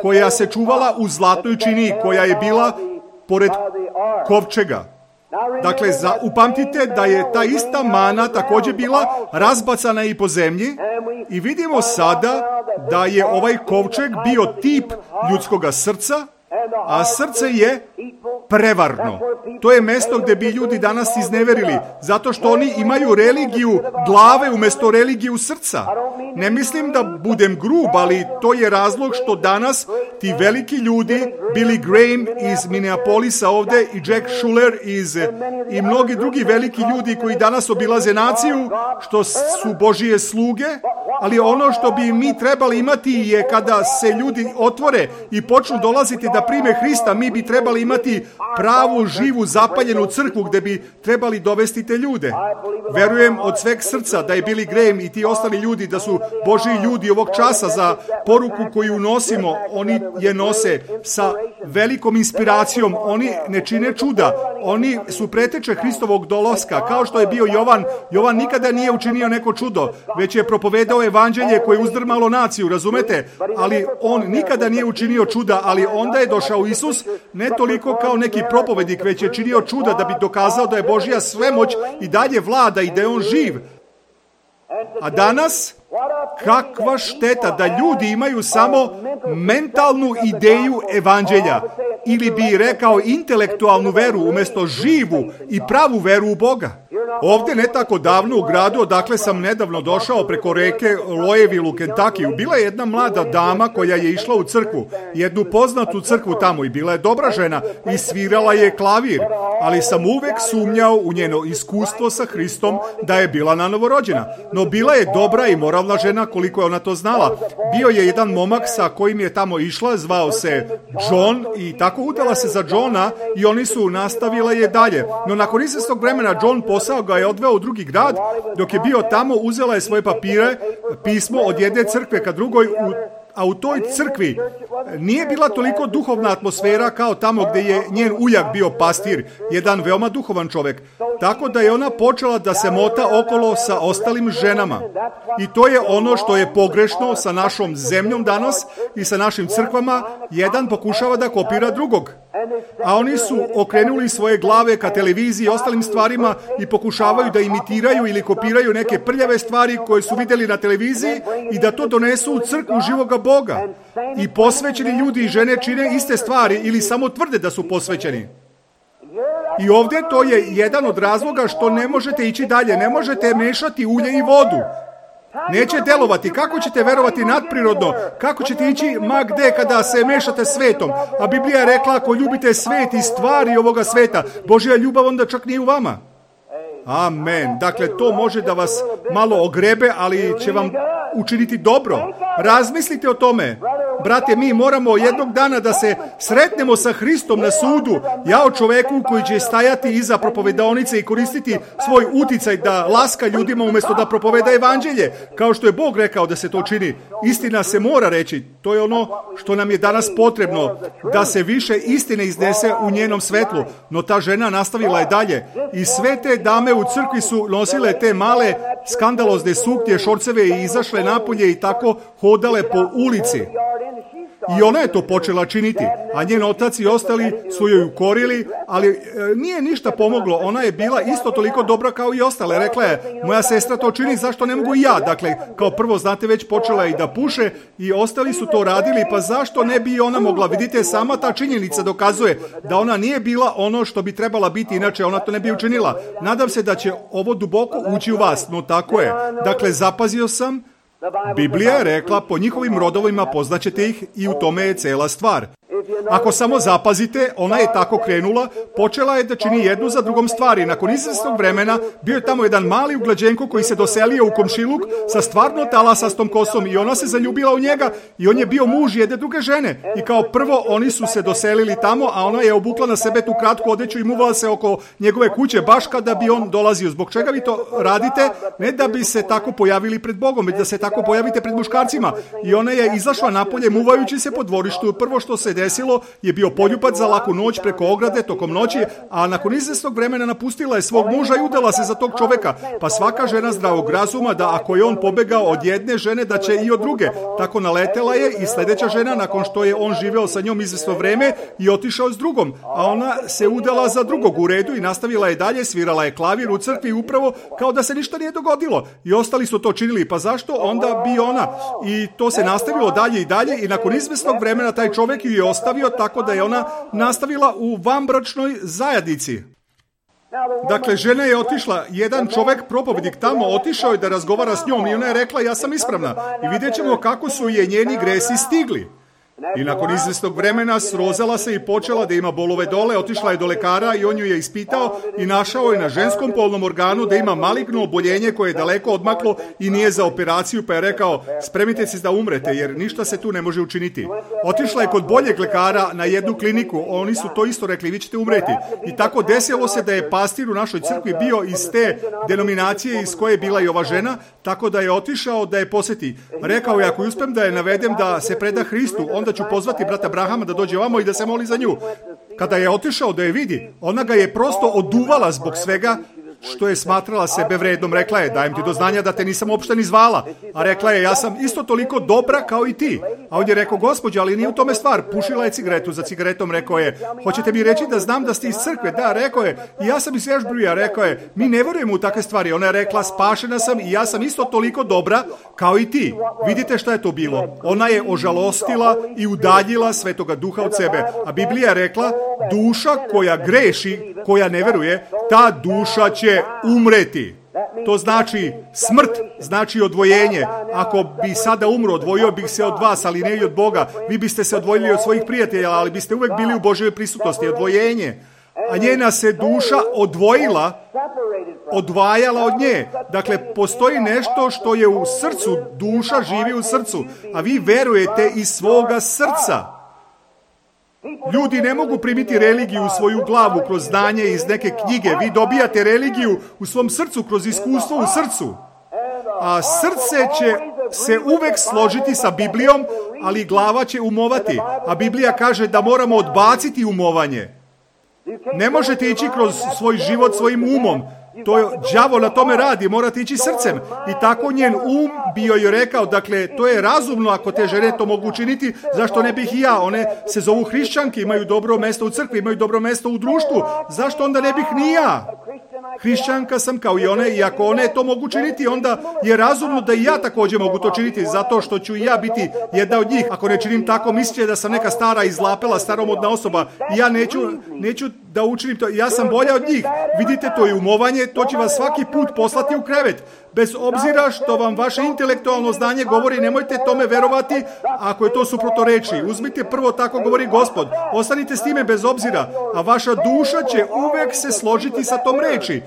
koja se čuvala u zlatnoj činiji, koja je bila pored kovčega. Dakle, upamtite da je ta ista mana također bila razbacana i po zemlji i vidimo sada da je ovaj kovčeg bio tip ljudskoga srca, a srce je prevarno. To je mjesto gdje bi ljudi danas izneverili, zato što oni imaju religiju glave umjesto religiju srca. Ne mislim da budem grub, ali to je razlog što danas ti veliki ljudi, Billy Graham iz Minneapolisa ovdje i Jack Schuller i mnogi drugi veliki ljudi koji danas obilaze naciju, što su Božije sluge, ali ono što bi mi trebali imati je kada se ljudi otvore i počnu dolaziti da prime Hrista, mi bi trebali imati pravu, živu, zapaljenu crkvu gdje bi trebali dovesti te ljude. Verujem od sveg srca da je Billy Graham i ti ostali ljudi, da su Božji ljudi ovog časa za poruku koju nosimo, oni je nose sa velikom inspiracijom, oni ne čine čuda, oni su preteče Hristovog dolaska, kao što je bio Jovan. Jovan nikada nije učinio neko čudo, već je propovedao evanđelje koje je uzdrmalo naciju, razumete? Ali on nikada nije učinio čuda, ali onda je došao Isus, ne toliko kao neki propovednik, već je činio čuda da bi dokazao da je Božja svemoć i dalje vlada i da je on živ. A danas, kakva šteta da ljudi imaju samo mentalnu ideju evanđelja, ili bi rekao intelektualnu veru umjesto živu i pravu veru u Boga. Ovdje ne tako davno u gradu, odakle sam nedavno došao preko reke Louisville u Kentuckyu, bila je jedna mlada dama koja je išla u crkvu, jednu poznatu crkvu tamo, i bila je dobra žena i svirala je klavir, ali sam uvek sumnjao u njeno iskustvo sa Hristom da je bila nanovorođena. No bila je dobra i moralna žena koliko je ona to znala. Bio je jedan momak sa kojim je tamo išla, zvao se John, i tako udala se za Johna i oni su nastavila je dalje. No nakon izvjesnog vremena John posao ga je odveo u drugi grad. Dok je bio tamo, uzela je svoje papire, pismo od jedne crkve ka drugoj, a u toj crkvi nije bila toliko duhovna atmosfera kao tamo gdje je njen ujak bio pastir, jedan veoma duhovan čovjek. Tako da je ona počela da se mota okolo sa ostalim ženama. I to je ono što je pogrešno sa našom zemljom danas i sa našim crkvama. Jedan pokušava da kopira drugog. A oni su okrenuli svoje glave ka televiziji i ostalim stvarima i pokušavaju da imitiraju ili kopiraju neke prljave stvari koje su vidjeli na televiziji i da to donesu u crkvu živoga Boga. I posvećeni ljudi i žene čine iste stvari ili samo tvrde da su posvećeni. I ovdje to je jedan od razloga što ne možete ići dalje, ne možete mešati ulje i vodu. Neće delovati. Kako ćete verovati nadprirodno? Kako ćete ići ma gde kada se mešate svetom? A Biblija je rekla, ako ljubite svet i stvari ovoga sveta, Božja ljubav onda čak nije u vama. Amen. Dakle, to može da vas malo ogrebe, ali će vam učiniti dobro. Razmislite o tome. Brate, mi moramo jednog dana da se sretnemo sa Hristom na sudu. Ja o čoveku koji će stajati iza propovedaonice i koristiti svoj uticaj da laska ljudima umjesto da propoveda evanđelje, kao što je Bog rekao da se to čini. Istina se mora reći. To je ono što nam je danas potrebno, da se više istine iznese u njenom svetlu. No ta žena nastavila je dalje. I sve te dame u crkvi su nosile te male skandalozne suknje, šorceve i izašle napolje i tako hodale po ulici. I ona je to počela činiti, a njen otac i ostali su joj ukorili, ali nije ništa pomoglo. Ona je bila isto toliko dobra kao i ostale. Rekla je, moja sestra to čini, zašto ne mogu i ja? Dakle, kao prvo, znate, već počela i da puše i ostali su to radili, pa zašto ne bi ona mogla? Vidite, sama ta činjenica dokazuje da ona nije bila ono što bi trebala biti, inače ona to ne bi učinila. Nadam se da će ovo duboko ući u vas, no tako je. Dakle, zapazio sam, Biblija je rekla, po njihovim rodovima poznaćete ih i u tome je cela stvar. Ako samo zapazite, ona je tako krenula, počela je da čini jednu za drugom stvari. Nakon izvesnog vremena bio je tamo jedan mali uglađenko koji se doselio u komšiluk sa stvarno talasastom kosom i ona se zaljubila u njega i on je bio muž jedne druge žene. I kao prvo oni su se doselili tamo, a ona je obukla na sebe tu kratku odeću i muvala se oko njegove kuće baš kada bi on dolazio. Zbog čega vi to radite? Ne da bi se tako pojavili pred Bogom, već da se tako pojavite pred muškarcima. I ona je izašla napolje muvajući se po dvorištu. Prvo što se desilo je bio poljubac za laku noć preko ograde tokom noći, a nakon izvesnog vremena napustila je svog muža i udala se za tog čoveka. Pa svaka žena zdravog razuma da ako je on pobegao od jedne žene da će i od druge. Tako naletela je i sljedeća žena nakon što je on živeo sa njom izvesno vreme i otišao s drugom, a ona se udala za drugog u redu i nastavila je dalje, svirala je klavir u crkvi upravo kao da se ništa nije dogodilo. I ostali su to činili, pa zašto onda bi ona? I to se nastavilo dalje i dalje i nakon izvesnog vremena taj čovjek ju je ostavio tako da je ona nastavila u vanbračnoj zajednici. Dakle, žena je otišla, jedan čovjek, propovednik tamo, otišao je da razgovara s njom i ona je rekla ja sam ispravna i vidjet ćemo kako su je njeni gresi stigli. I nakon izvesnog vremena srozala se i počela da ima bolove dole, otišla je do lekara i on ju je ispitao i našao je na ženskom polnom organu da ima maligno oboljenje koje je daleko odmaklo i nije za operaciju, pa je rekao spremite se da umrete jer ništa se tu ne može učiniti. Otišla je kod boljeg lekara na jednu kliniku, oni su to isto rekli, vi ćete umreti. I tako desilo se da je pastir u našoj crkvi bio iz te denominacije iz koje je bila i ova žena, tako da je otišao da je posjeti. Rekao je ako uspem da je navedem da se preda Hristu, onda ću pozvati brata Brahama da dođe ovamo i da se moli za nju. Kada je otišao da je vidi, ona ga je prosto oduvala zbog svega što je smatrala sebe vrednom. Rekla je, dajem ti do znanja da te nisam uopšte ni zvala. A rekla je, ja sam isto toliko dobra kao i ti. A on je rekao, gospođo, ali nije u tome stvar. Pušila je cigaretu, za cigaretom rekao je, hoćete mi reći da znam da ste iz crkve? Da, rekao je, i ja sam iz Ashburyja, rekao je, mi ne vjerujemo u takve stvari. Ona je rekla, spašena sam i ja sam isto toliko dobra kao i ti. Vidite šta je to bilo? Ona je ožalostila i udaljila Svetoga Duha od sebe. A Biblija je rekla, duša koja greši, koja ne veruje, ta duša će umreti. To znači smrt, znači odvojenje. Ako bi sada umro, odvojio bih se od vas, ali ne i od Boga. Vi biste se odvojili od svojih prijatelja, ali biste uvek bili u Božjoj prisutnosti. Odvojenje. A njena se duša odvajala od nje. Dakle, postoji nešto što je u srcu, duša živi u srcu, a vi verujete iz svoga srca. Ljudi ne mogu primiti religiju u svoju glavu kroz znanje iz neke knjige. Vi dobijate religiju u svom srcu, kroz iskustvo u srcu. A srce će se uvek složiti sa Biblijom, ali glava će umovati. A Biblija kaže da moramo odbaciti umovanje. Ne možete ići kroz svoj život svojim umom. Đavo na tome radi, morate ići srcem. I tako njen bio je rekao, dakle, to je razumno ako te žene to mogu učiniti, zašto ne bih i ja? One se zovu hrišćanke, imaju dobro mesto u crkvi, imaju dobro mesto u društvu. Zašto onda ne bih ni ja? Hrišćanka sam kao i one i ako one to mogu činiti, onda je razumno da i ja također mogu to činiti, zato što ću i ja biti jedna od njih. Ako ne činim tako, misliće da sam neka stara izlapela, staromodna osoba i ja neću da učinim to. Ja sam bolja od njih. Vidite, to je umovanje, to će vas svaki put poslati u krevet. Bez obzira što vam vaše intelektualno znanje govori, nemojte tome verovati ako je to suprotno reči. Uzmite prvo, tako govori Gospod. Ostanite s time bez obzira, a vaša duša će uvek se složiti sa tom reči.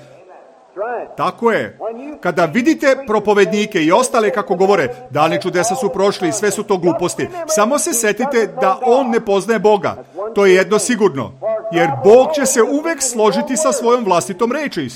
Tako je. Kada vidite propovednike i ostale kako govore, dani čudesa su prošli i sve su to gluposti, samo se setite da on ne poznaje Boga. To je jedno sigurno. Jer Bog će se uvek složiti sa svojom vlastitom reči.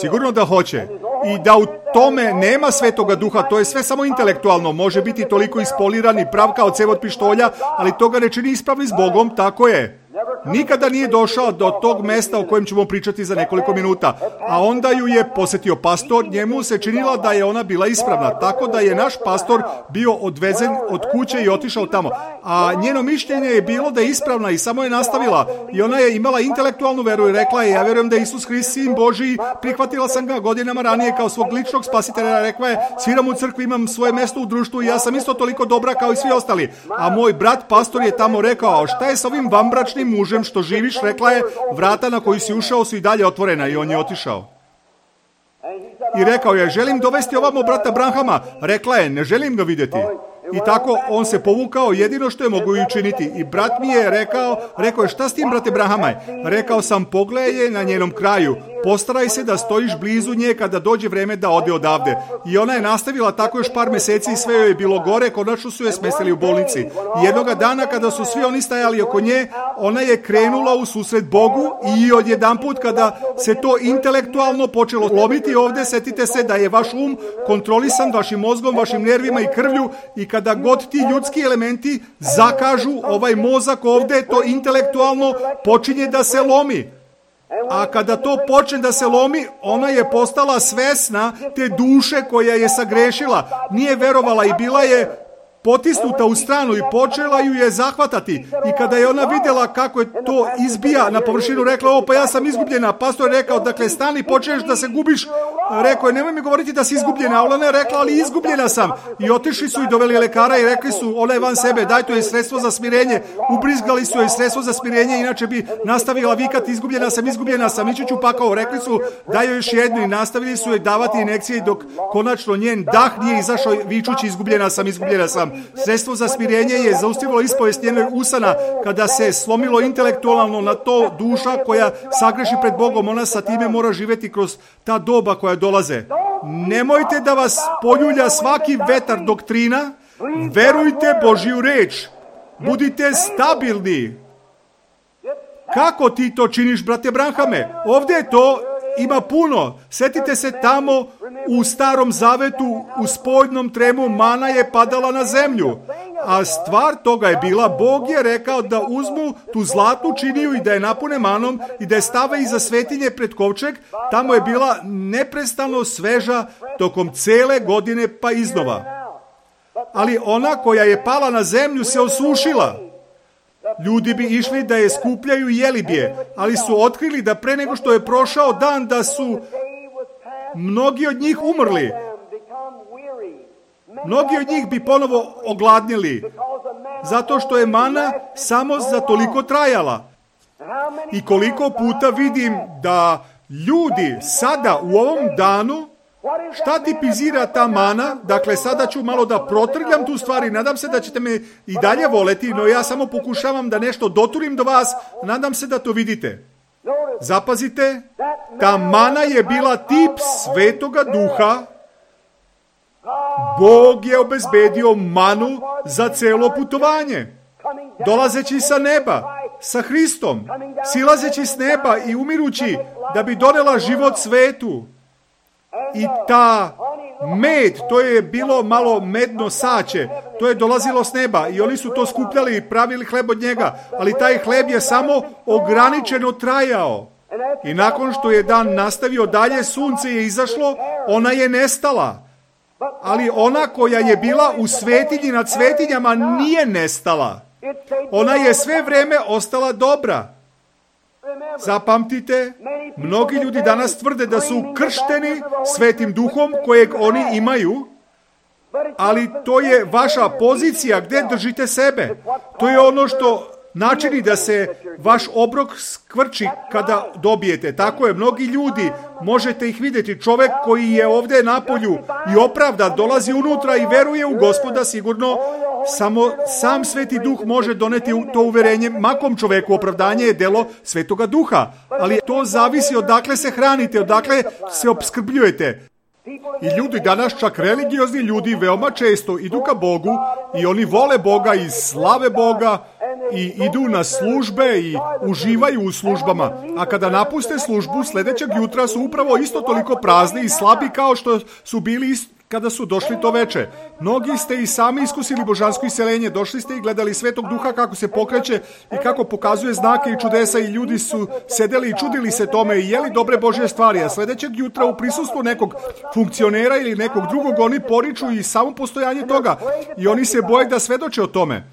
Sigurno da hoće. I da u tome nema Svetoga Duha, to je sve samo intelektualno. Može biti toliko ispoliran i prav kao cev od pištolja, ali to ga ne čini ispravni s Bogom, tako je. Nikada nije došao do tog mesta o kojem ćemo pričati za nekoliko minuta. A onda ju je posjetio pastor, njemu se činila da je ona bila ispravna, tako da je naš pastor bio odvezen od kuće i otišao tamo. A njeno mišljenje je bilo da je ispravna i samo je nastavila. I ona je imala intelektualnu veru i rekla je, ja vjerujem da je Isus Hrist sin Božiji, prihvatila sam ga godinama ranije kao svog ličnog spasitelja, rekla je, sviram u crkvi, imam svoje mjesto u društvu i ja sam isto toliko dobra kao i svi ostali. A moj brat pastor je tamo rekao, a šta je sa ovim vanbračnim mužem što živiš? Rekla je, vrata na koji si ušao su i dalje otvorena i on je otišao. I rekao je, želim dovesti ovamo brata Branhama. Rekla je, ne želim ga vidjeti. I tako on se povukao jedino što je mogu učiniti. I brat mi je rekao je, šta s tim, brate Branhame? Rekao sam, pogledaj je na njenom kraju. Postaraj se da stojiš blizu nje kada dođe vreme da ode odavde. I ona je nastavila tako još par meseci i sve joj je bilo gore, konačno su je smestili u bolnici. I jednoga dana kada su svi oni stajali oko nje, ona je krenula u susret Bogu i odjedanput kada se to intelektualno počelo lomiti ovde, setite se da je vaš kontrolisan vašim mozgom, vašim nervima i krvlju i kada god ti ljudski elementi zakažu, ovaj mozak ovde, to intelektualno počinje da se lomi. A kada to počne da se lomi, ona je postala svesna te duše koja je sagrešila. Nije verovala i bila je potisnuta u stranu i počela ju je zahvatati. I kada je ona vidjela kako je to izbija na površinu, rekla, pa ja sam izgubljena. Pastor je rekao, dakle, stani, počneš da se gubiš. Rekao je, nemoj mi govoriti da si izgubljena. Ona je rekla, ali izgubljena sam. I otišli su i doveli lekara i rekli su, ona je van sebe, daj, to je sredstvo za smirenje. Ubrizgali su joj sredstvo za smirenje, inače bi nastavila vikati, izgubljena sam, ići ću pakao. Rekli su, daj joj još jednu i nastavili su joj davati injekcije dok konačno njen dah nije izašao vičući, izgubljena sam. Sredstvo za smirenje je zaustavilo ispovest njenog usana kada se slomilo intelektualno na to duša koja sagreši pred Bogom. Ona sa time mora živjeti kroz ta doba koja dolaze. Nemojte da vas poljulja svaki vetar doktrina. Verujte Božju reč. Budite stabilni. Kako ti to činiš, brate Branhame? Ovdje je to ima puno. Setite se tamo u Starom Zavetu, u spoljnom tremu mana je padala na zemlju. A stvar toga je bila, Bog je rekao da uzmu tu zlatnu činiju i da je napune manom i da je stave iza svetinje pred kovčeg. Tamo je bila neprestano sveža tokom cele godine pa iznova. Ali ona koja je pala na zemlju se osušila. Ljudi bi išli da je skupljaju i jeli bi je, ali su otkrili da pre nego što je prošao dan da su mnogi od njih umrli. Mnogi od njih bi ponovo ogladnili, zato što je mana samo za toliko trajala. I koliko puta vidim da ljudi sada u ovom danu, šta tipizira ta mana? Dakle, sada ću malo da protrljam tu stvar i nadam se da ćete me i dalje voleti, no ja samo pokušavam da nešto doturim do vas, nadam se da to vidite. Zapazite, ta mana je bila tip Svetoga Duha. Bog je obezbedio manu za celo putovanje. Dolazeći sa neba, sa Hristom, silazeći s neba i umirući da bi donela život svetu. I ta med, to je bilo malo medno sače, to je dolazilo s neba i oni su to skupljali i pravili hleb od njega, ali taj hleb je samo ograničeno trajao. I nakon što je dan nastavio dalje, sunce je izašlo, ona je nestala. Ali ona koja je bila u svetinji nad svetinjama nije nestala. Ona je sve vreme ostala dobra. Zapamtite, mnogi ljudi danas tvrde da su kršteni Svetim Duhom kojeg oni imaju, ali to je vaša pozicija gdje držite sebe. To je ono što načini da se vaš obrok skvrči kada dobijete. Tako je, mnogi ljudi, možete ih vidjeti, čovjek koji je ovdje napolju i opravda, dolazi unutra i veruje u Gospoda, sigurno samo sam Sveti Duh može doneti to uverenje. Makom čovjeku opravdanje je delo Svetoga Duha, ali to zavisi odakle se hranite, odakle se opskrbljujete. I ljudi danas, čak religiozni ljudi, veoma često idu ka Bogu i oni vole Boga i slave Boga i idu na službe i uživaju u službama. A kada napuste službu, sljedećeg jutra su upravo isto toliko prazni i slabi kao što su bili kada su došli to veče. Mnogi ste i sami iskusili božansko iseljenje, došli ste i gledali Svetog Duha kako se pokreće i kako pokazuje znake i čudesa i ljudi su sedeli i čudili se tome i jeli dobre Božje stvari, a sljedećeg jutra u prisustvu nekog funkcionera ili nekog drugog oni poriču i samo postojanje toga i oni se boje da svedoče o tome.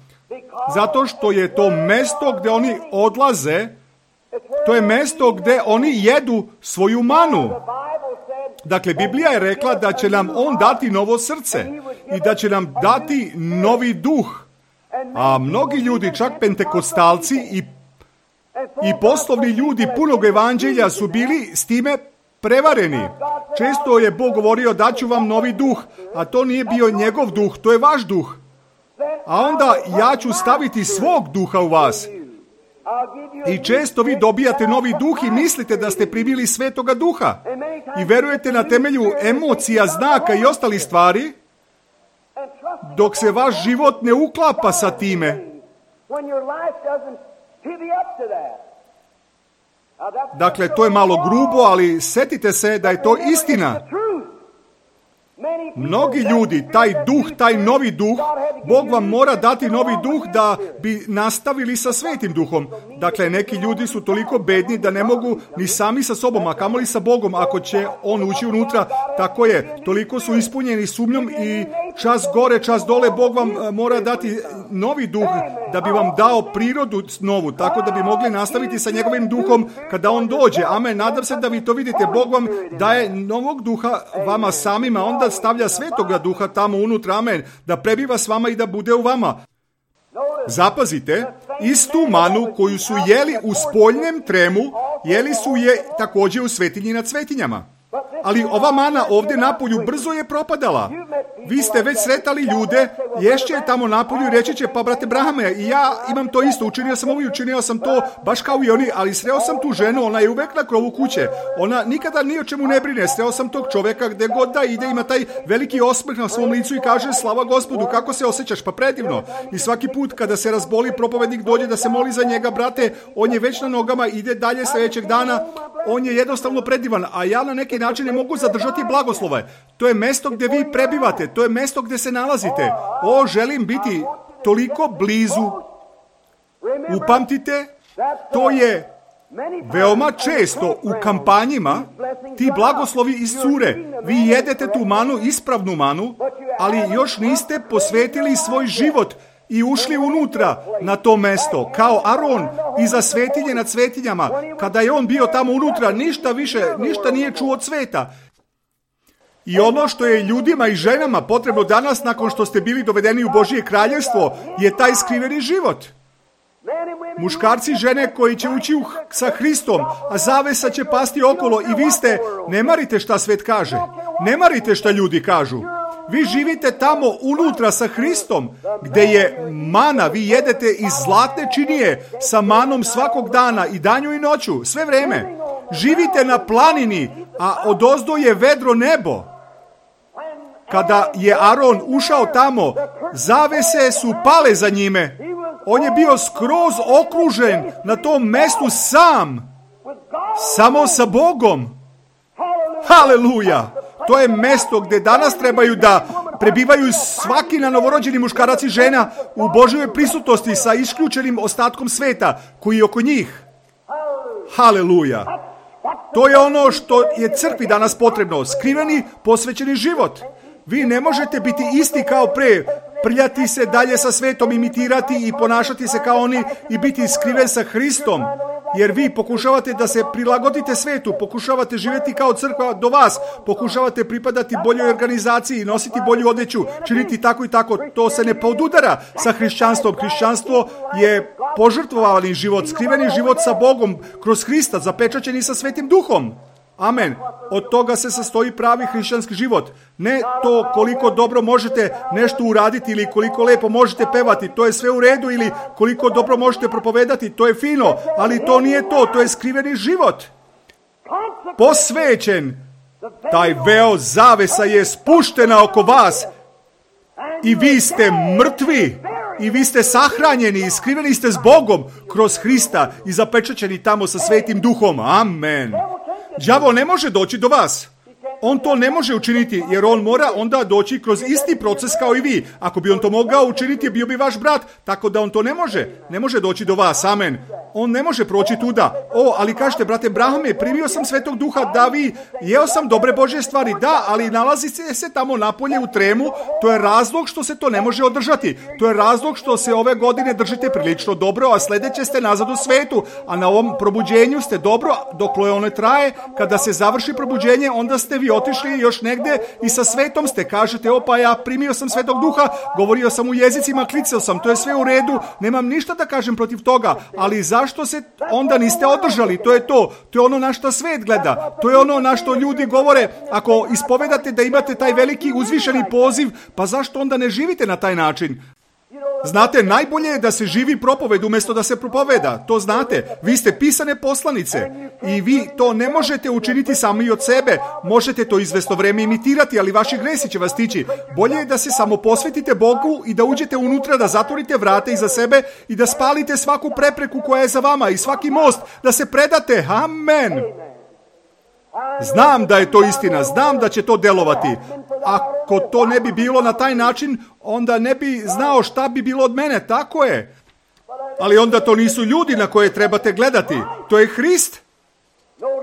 Zato što je to mesto gdje oni odlaze, to je mesto gdje oni jedu svoju manu. Dakle, Biblija je rekla da će nam On dati novo srce i da će nam dati novi duh. A mnogi ljudi, čak pentekostalci i poslovni ljudi punog evanđelja su bili s time prevareni. Često je Bog govorio daću vam novi duh, a to nije bio njegov duh, to je vaš duh. a onda ja ću staviti svog duha u vas. I često vi dobijate novi duh i mislite da ste primili Svetoga Duha. I verujete na temelju emocija, znaka i ostalih stvari, dok se vaš život ne uklapa sa time. Dakle, to je malo grubo, ali setite se da je to istina. Mnogi ljudi, taj duh, taj novi duh, Bog vam mora dati novi duh da bi nastavili sa Svetim Duhom. Dakle, neki ljudi su toliko bedni da ne mogu ni sami sa sobom, a kamoli sa Bogom, ako će On ući unutra. Tako je, toliko su ispunjeni sumnjom i čas gore, čas dole, Bog vam mora dati novi duh da bi vam dao prirodu novu, tako da bi mogli nastaviti sa njegovim duhom kada On dođe. Amen, nadam se da vi to vidite. Bog vam daje novog duha vama samima, onda stavlja Svetoga Duha tamo unutra, amen, da prebiva s vama i da bude u vama. Zapazite, istu manu koju su jeli u spoljnem tremu, jeli su je također u svetinji nad svetinjama. Ali ova mana ovdje napolju brzo je propadala. Vi ste već sretali ljude, ješće je tamo napolju i reći će, pa brate Brahame, i ja imam to isto, učinio sam ovo i učinio sam to, baš kao i oni, ali sreo sam tu ženu, ona je uvek na krovu kuće. Ona nikada ni o čemu ne brine, sreo sam tog čovjeka gdje god da ide, ima taj veliki osmeh na svom licu i kaže, slava Gospodu, kako se osjećaš? Pa predivno. I svaki put kada se razboli, propovednik dođe da se moli za njega, brate, on je već na nogama, ide dalje sljedećeg dana, on je jednostavno predivan, a ja na neki način ne mogu zadržati blagoslove. To je mesto gdje vi prebivate, to je mesto gdje se nalazite. O, želim biti toliko blizu. Upamtite, to je veoma često u kampanjima ti blagoslovi iscure. Vi jedete tu manu, ispravnu manu, ali još niste posvetili svoj život i ušli unutra na to mesto, kao Aron iza svetinje nad svetinjama. Kada je on bio tamo unutra, ništa više, ništa nije čuo od sveta. I ono što je ljudima i ženama potrebno danas, nakon što ste bili dovedeni u Božje kraljevstvo, je taj skriveni život. Muškarci i žene koji će ući sa Hristom, a zavesa će pasti okolo i vi ste, ne marite šta svet kaže, ne marite šta ljudi kažu. Vi živite tamo unutra sa Hristom, gdje je mana, vi jedete iz zlatne činije sa manom svakog dana i danju i noću, sve vreme. Živite na planini, a odozdo je vedro nebo. Kada je Aron ušao tamo, zavese su pale za njime. On je bio skroz okružen na tom mestu sam, samo sa Bogom. Haleluja! To je mesto gdje danas trebaju da prebivaju svaki na novorođeni muškarac i žena u Božjoj prisutnosti sa isključenim ostatkom sveta koji je oko njih. Haleluja! To je ono što je crkvi danas potrebno, skriveni, posvećeni život. Vi ne možete biti isti kao pre, prljati se dalje sa svetom, imitirati i ponašati se kao oni i biti skriven sa Hristom. Jer vi pokušavate da se prilagodite svetu, pokušavate živjeti kao crkva do vas, pokušavate pripadati boljoj organizaciji, nositi bolju odjeću, činiti tako i tako. To se ne podudara sa hrišćanstvom. Hrišćanstvo je požrtvovani život, skriveni život sa Bogom kroz Hrista, zapečaćeni sa Svetim Duhom. Amen. Od toga se sastoji pravi hrišćanski život. Ne to koliko dobro možete nešto uraditi ili koliko lepo možete pevati, to je sve u redu, ili koliko dobro možete propovedati, to je fino, ali to nije to, to je skriveni život. Posvećen, taj veo zavesa je spuštena oko vas i vi ste mrtvi i vi ste sahranjeni i skriveni ste s Bogom kroz Hrista i zapečaćeni tamo sa Svetim Duhom. Amen. Đavo ne može doći do vas. On to ne može učiniti, jer on mora onda doći kroz isti proces kao i vi. Ako bi on to mogao učiniti, bio bi vaš brat, tako da on to ne može. Ne može doći do vas, amen. On ne može proći tuda. Ali kažete, brate Brahame, primio sam Svetog Duha, da vi, jeo sam dobre Božje stvari, da, ali nalazi se tamo napolje u tremu, to je razlog što se to ne može održati. To je razlog što se ove godine držite prilično dobro, a sljedeće ste nazad u svetu, a na ovom probuđenju ste dobro, dok ono traje, kada se završi probuđenje, onda ste vi otišli još negdje i sa svetom ste, kažete, pa ja primio sam Svetog Duha, govorio sam u jezicima, klicao sam, to je sve u redu, nemam ništa da kažem protiv toga, ali zašto se onda niste održali? To je to je ono na što svet gleda, to je ono na što ljudi govore, ako ispovedate da imate taj veliki uzvišeni poziv, pa zašto onda ne živite na taj način? Znate, najbolje je da se živi propoved umjesto da se propoveda. To znate. Vi ste pisane poslanice i vi to ne možete učiniti sami od sebe. Možete to izvesno vrijeme imitirati, ali vaši gresi će vas tići. Bolje je da se samo posvetite Bogu i da uđete unutra, da zatvorite vrata iza sebe i da spalite svaku prepreku koja je za vama i svaki most, da se predate. Amen. Znam da je to istina, znam da će to delovati. Ako to ne bi bilo na taj način, onda ne bi znao šta bi bilo od mene, tako je. Ali onda to nisu ljudi na koje trebate gledati, to je Hrist.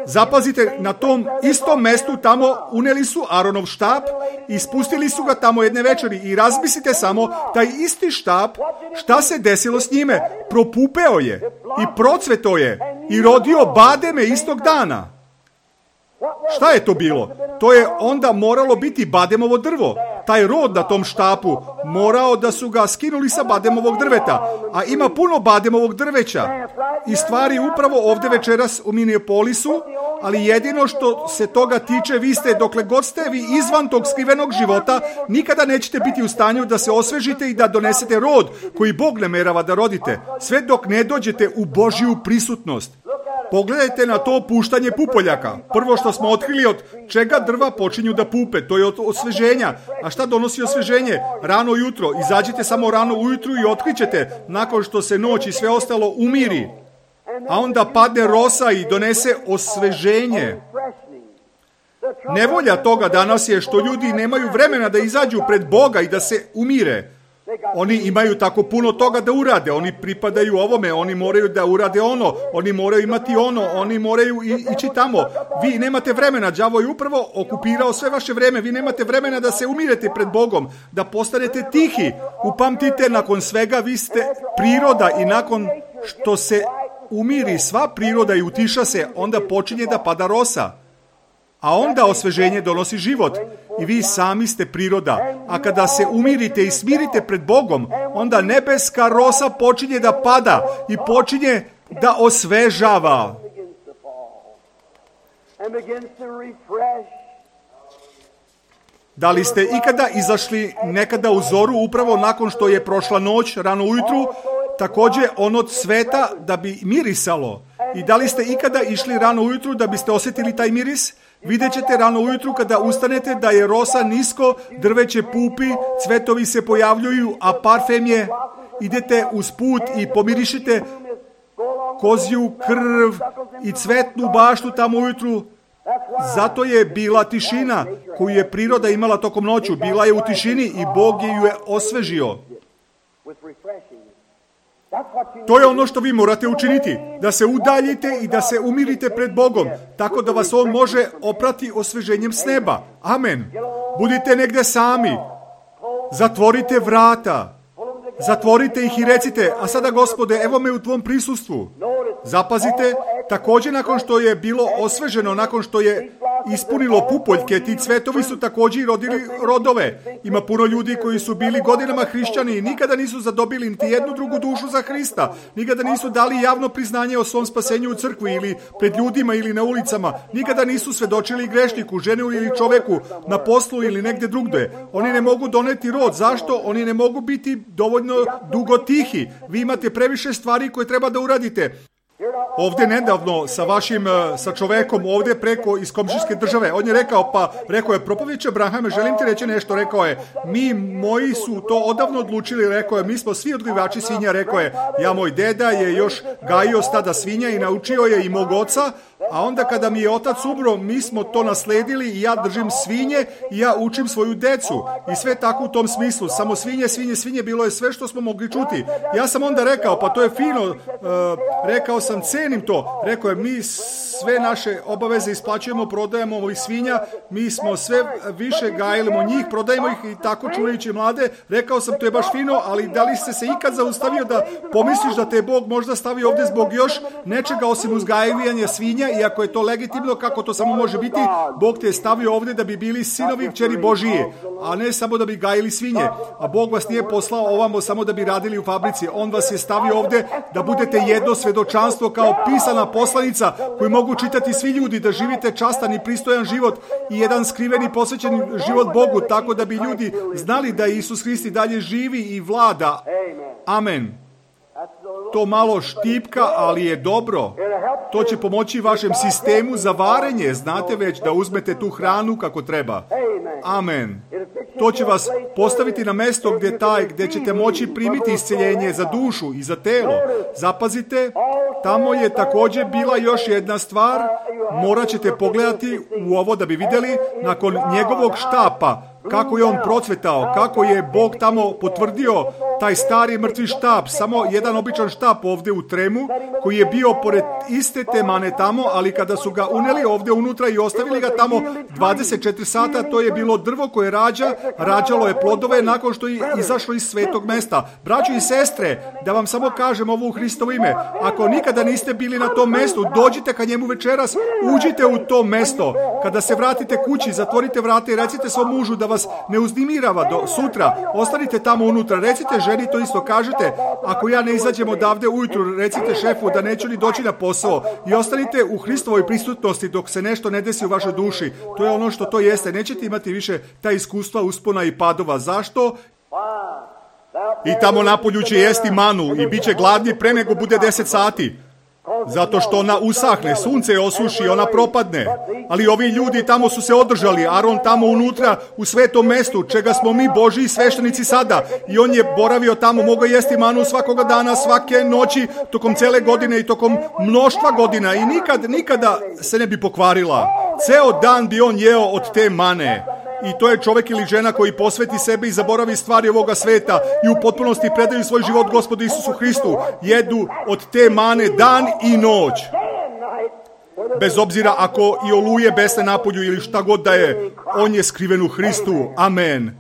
Zapazite, na tom istom mestu tamo uneli su Aronov štap i spustili su ga tamo jedne večeri i razmislite samo, taj isti štap, šta se desilo s njime? Propupeo je i procveto je i rodio bademe istog dana. Šta je to bilo? To je onda moralo biti bademovo drvo. Taj rod na tom štapu morao da su ga skinuli sa bademovog drveta. A ima puno bademovog drveća. I stvari upravo ovdje večeras u Minneapolisu, ali jedino što se toga tiče, vi ste, dokle god ste vi izvan tog skrivenog života, nikada nećete biti u stanju da se osvežite i da donesete rod koji Bog namerava da rodite. Sve dok ne dođete u Božju prisutnost. Pogledajte na to puštanje pupoljaka. Prvo što smo otkrili, od čega drva počinju da pupe, to je od osveženja. A šta donosi osveženje? Rano jutro. Izađite samo rano ujutru i otkrićete, nakon što se noć i sve ostalo umiri. A onda padne rosa i donese osveženje. Nevolja toga danas je što ljudi nemaju vremena da izađu pred Boga i da se umire. Oni imaju tako puno toga da urade, oni pripadaju ovome, oni moraju da urade ono, oni moraju imati ono, oni moraju ići tamo. Vi nemate vremena, đavo je upravo okupirao sve vaše vreme, vi nemate vremena da se umirete pred Bogom, da postanete tihi. Upamtite, nakon svega vi ste priroda i nakon što se umiri sva priroda i utiša se, onda počinje da pada rosa. A onda osveženje donosi život i vi sami ste priroda. A kada se umirite i smirite pred Bogom, onda nebeska rosa počinje da pada i počinje da osvežava. Da li ste ikada izašli nekada u zoru upravo nakon što je prošla noć, rano ujutru, također ono cveta da bi mirisalo? I da li ste ikada išli rano ujutru da biste osjetili taj miris? Vidjet ćete rano ujutru kada ustanete da je rosa nisko, drveće pupi, cvetovi se pojavljuju, a parfem je, idete uz put i pomirišite kozju krv i cvetnu baštu tamo ujutru. Zato je bila tišina koju je priroda imala tokom noću. Bila je u tišini i Bog ju je osvežio. To je ono što vi morate učiniti, da se udaljite i da se umirite pred Bogom, tako da vas On može oprati osveženjem s neba. Amen. Budite negdje sami. Zatvorite vrata. Zatvorite ih i recite, a sada Gospode, evo me u tvom prisustvu. Zapazite, također nakon što je bilo osveženo, nakon što je ispunilo pupoljke, ti cvetovi su također rodili rodove. Ima puno ljudi koji su bili godinama hrišćani i nikada nisu zadobili niti jednu drugu dušu za Hrista. Nikada nisu dali javno priznanje o svom spasenju u crkvi ili pred ljudima ili na ulicama. Nikada nisu svedočili grešniku, ženi ili čoveku, na poslu ili negdje drugdje. Oni ne mogu doneti rod. Zašto? Oni ne mogu biti dovoljno dugo tihi. Vi imate previše stvari koje treba da uradite. Ovdje nedavno sa čovekom ovdje preko iz komšijske države, on je rekao je propovjedče Abrahame, želim ti reći nešto, rekao je, moji su to odavno odlučili, rekao je, mi smo svi odgajivači svinja, rekao je, moj deda je još gajio stada svinja i naučio je i mog oca, a onda kada mi je otac umro, mi smo to nasledili i ja držim svinje i ja učim svoju decu i sve tako u tom smislu, samo svinje, bilo je sve što smo mogli čuti. Ja sam onda rekao, pa to je fino, rekao sam, cenim to. Rekao je, mi sve naše obaveze isplaćujemo, prodajemo ovih svinja, mi smo sve više gajimo njih, prodajemo ih i tako čuvajući mlade. Rekao sam, to je baš fino, ali da li ste se ikad zaustavio da pomisliš da te Bog možda stavi ovdje zbog još nečega osim uzgajivanja svinja i iako je to legitimno, kako to samo može biti, Bog te je stavio ovdje da bi bili sinovi i kćeri Božije, a ne samo da bi gajili svinje. A Bog vas nije poslao ovamo samo da bi radili u fabrici. On vas je stavio ovdje da budete jedno svedočanstvo kao pisana poslanica koju mogu čitati svi ljudi, da živite častan i pristojan život i jedan skriveni posvećen život Bogu, tako da bi ljudi znali da Isus Hrist dalje živi i vlada. Amen. To malo štipka, ali je dobro. To će pomoći vašem sistemu za varenje. Znate već da uzmete tu hranu kako treba. Amen. To će vas postaviti na mjesto gdje ćete moći primiti isceljenje za dušu i za telo. Zapazite, tamo je također bila još jedna stvar. Morat ćete pogledati u ovo da bi vidjeli nakon njegovog štapa kako je on procvetao, kako je Bog tamo potvrdio taj stari mrtvi štap, samo jedan običan štap ovdje u tremu, koji je bio pored iste te mane tamo, ali kada su ga uneli ovdje unutra i ostavili ga tamo 24 sata, to je bilo drvo koje rađalo je plodove nakon što je izašlo iz svetog mesta. Braćo i sestre, da vam samo kažem ovo u Hristovo ime, ako nikada niste bili na tom mestu, dođite ka njemu večeras, uđite u to mesto. Kada se vratite kući, zatvorite vrata i recite svom mužu da vas ne uznemirava do sutra. Ostanite tamo unutra, recite ženi to isto, kažete, ako ja ne izađem odavde ujutru, recite šefu da neću ni doći na posao i ostanite u Hristovoj prisutnosti dok se nešto ne desi u vašoj duši. To je ono što to jeste. Nećete imati više ta iskustva uspona i padova. Zašto? I tamo napolju će jesti manu i bit će gladni pre nego bude 10 sati. Zato što ona usahne, sunce je osuši, ona propadne. Ali ovi ljudi tamo su se održali, Aron tamo unutra u svetom mestu, čega smo mi Božji sveštenici sada. I on je boravio tamo, mogao jesti manu svakoga dana, svake noći, tokom cele godine i tokom mnoštva godina. I nikada se ne bi pokvarila. Ceo dan bi on jeo od te mane. I to je čovjek ili žena koji posveti sebe i zaboravi stvari ovoga sveta i u potpunosti predaju svoj život Gospodu Isusu Hristu. Jedu od te mane dan i noć. Bez obzira ako i oluje besne napolju ili šta god da je, on je skriven u Hristu. Amen.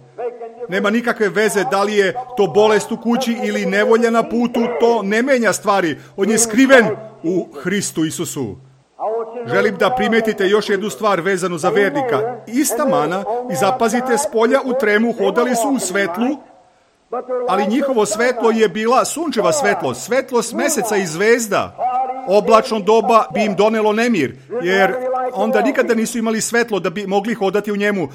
Nema nikakve veze da li je to bolest u kući ili nevolja na putu, to ne menja stvari. On je skriven u Hristu Isusu. Želim da primetite još jednu stvar vezanu za vernika. Ista mana, i zapazite, s polja u tremu hodali su u svetlu, ali njihovo svetlo je bila sunčeva svetlost, svetlost meseca i zvezda. Oblačno doba bi im donelo nemir, jer onda nikada nisu imali svetlo da bi mogli hodati u njemu.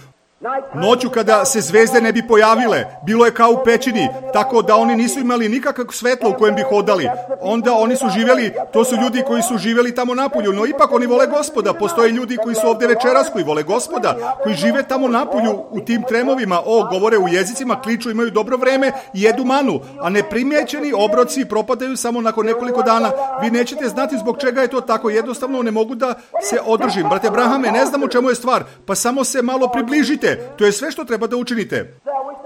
Noću kada se zvezde ne bi pojavile, bilo je kao u pećini, tako da oni nisu imali nikakvog svetla u kojem bi hodali. Onda oni su živjeli, to su ljudi koji su živjeli tamo napolju, no ipak oni vole Gospoda. Postoje ljudi koji su ovdje večeras, koji vole Gospoda, koji žive tamo napolju u tim tremovima, govore u jezicima, kliču, imaju dobro vreme i jedu manu, a neprimjećeni obroci propadaju samo nakon nekoliko dana. Vi nećete znati zbog čega je to tako, jednostavno ne mogu da se održim. Brate Brahame, ne znam u čemu je stvar, pa samo se malo približite. To je sve što treba da učinite.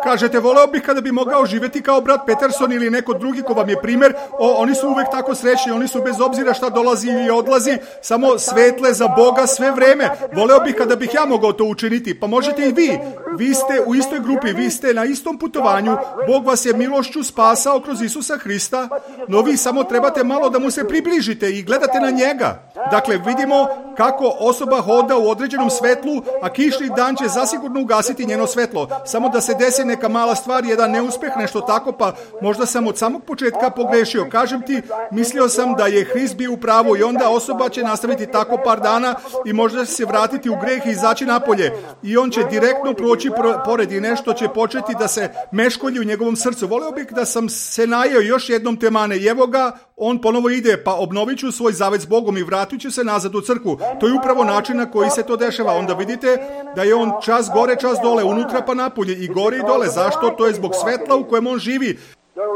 Kažete, voleo bih kada bi mogao živjeti kao brat Peterson ili neko drugi ko vam je primjer. Oni su uvek tako srećni, oni su bez obzira šta dolazi ili odlazi, samo svetle za Boga sve vreme. Voleo bih kada bih ja mogao to učiniti. Pa možete i vi. Vi ste u istoj grupi, vi ste na istom putovanju. Bog vas je milošću spasao kroz Isusa Hrista, no vi samo trebate malo da mu se približite i gledate na njega. Dakle, vidimo kako osoba hoda u određenom svetlu, a kišni dan će zasigurno ugasiti njeno svetlo. Samo da se desi neka mala stvar, jedan neuspeh, nešto tako, pa možda sam od samog početka pogrešio. Kažem ti, mislio sam da je Hrist bio u pravu i onda osoba će nastaviti tako par dana i možda će se vratiti u greh i izaći napolje. I on će direktno proći pored i nešto će početi da se meškolji u njegovom srcu. Voleo bih da sam se najeo još jednom te mane i evo ga, on ponovo ide, pa obnovit ću svoj zavet s Bogom i vratit ću se nazad u crkvu. To je upravo način na koji se to dešava. Onda vidite da je on čas gore, čas dole, unutra pa napolje i gore i dole. Zašto? To je zbog svetla u kojem on živi.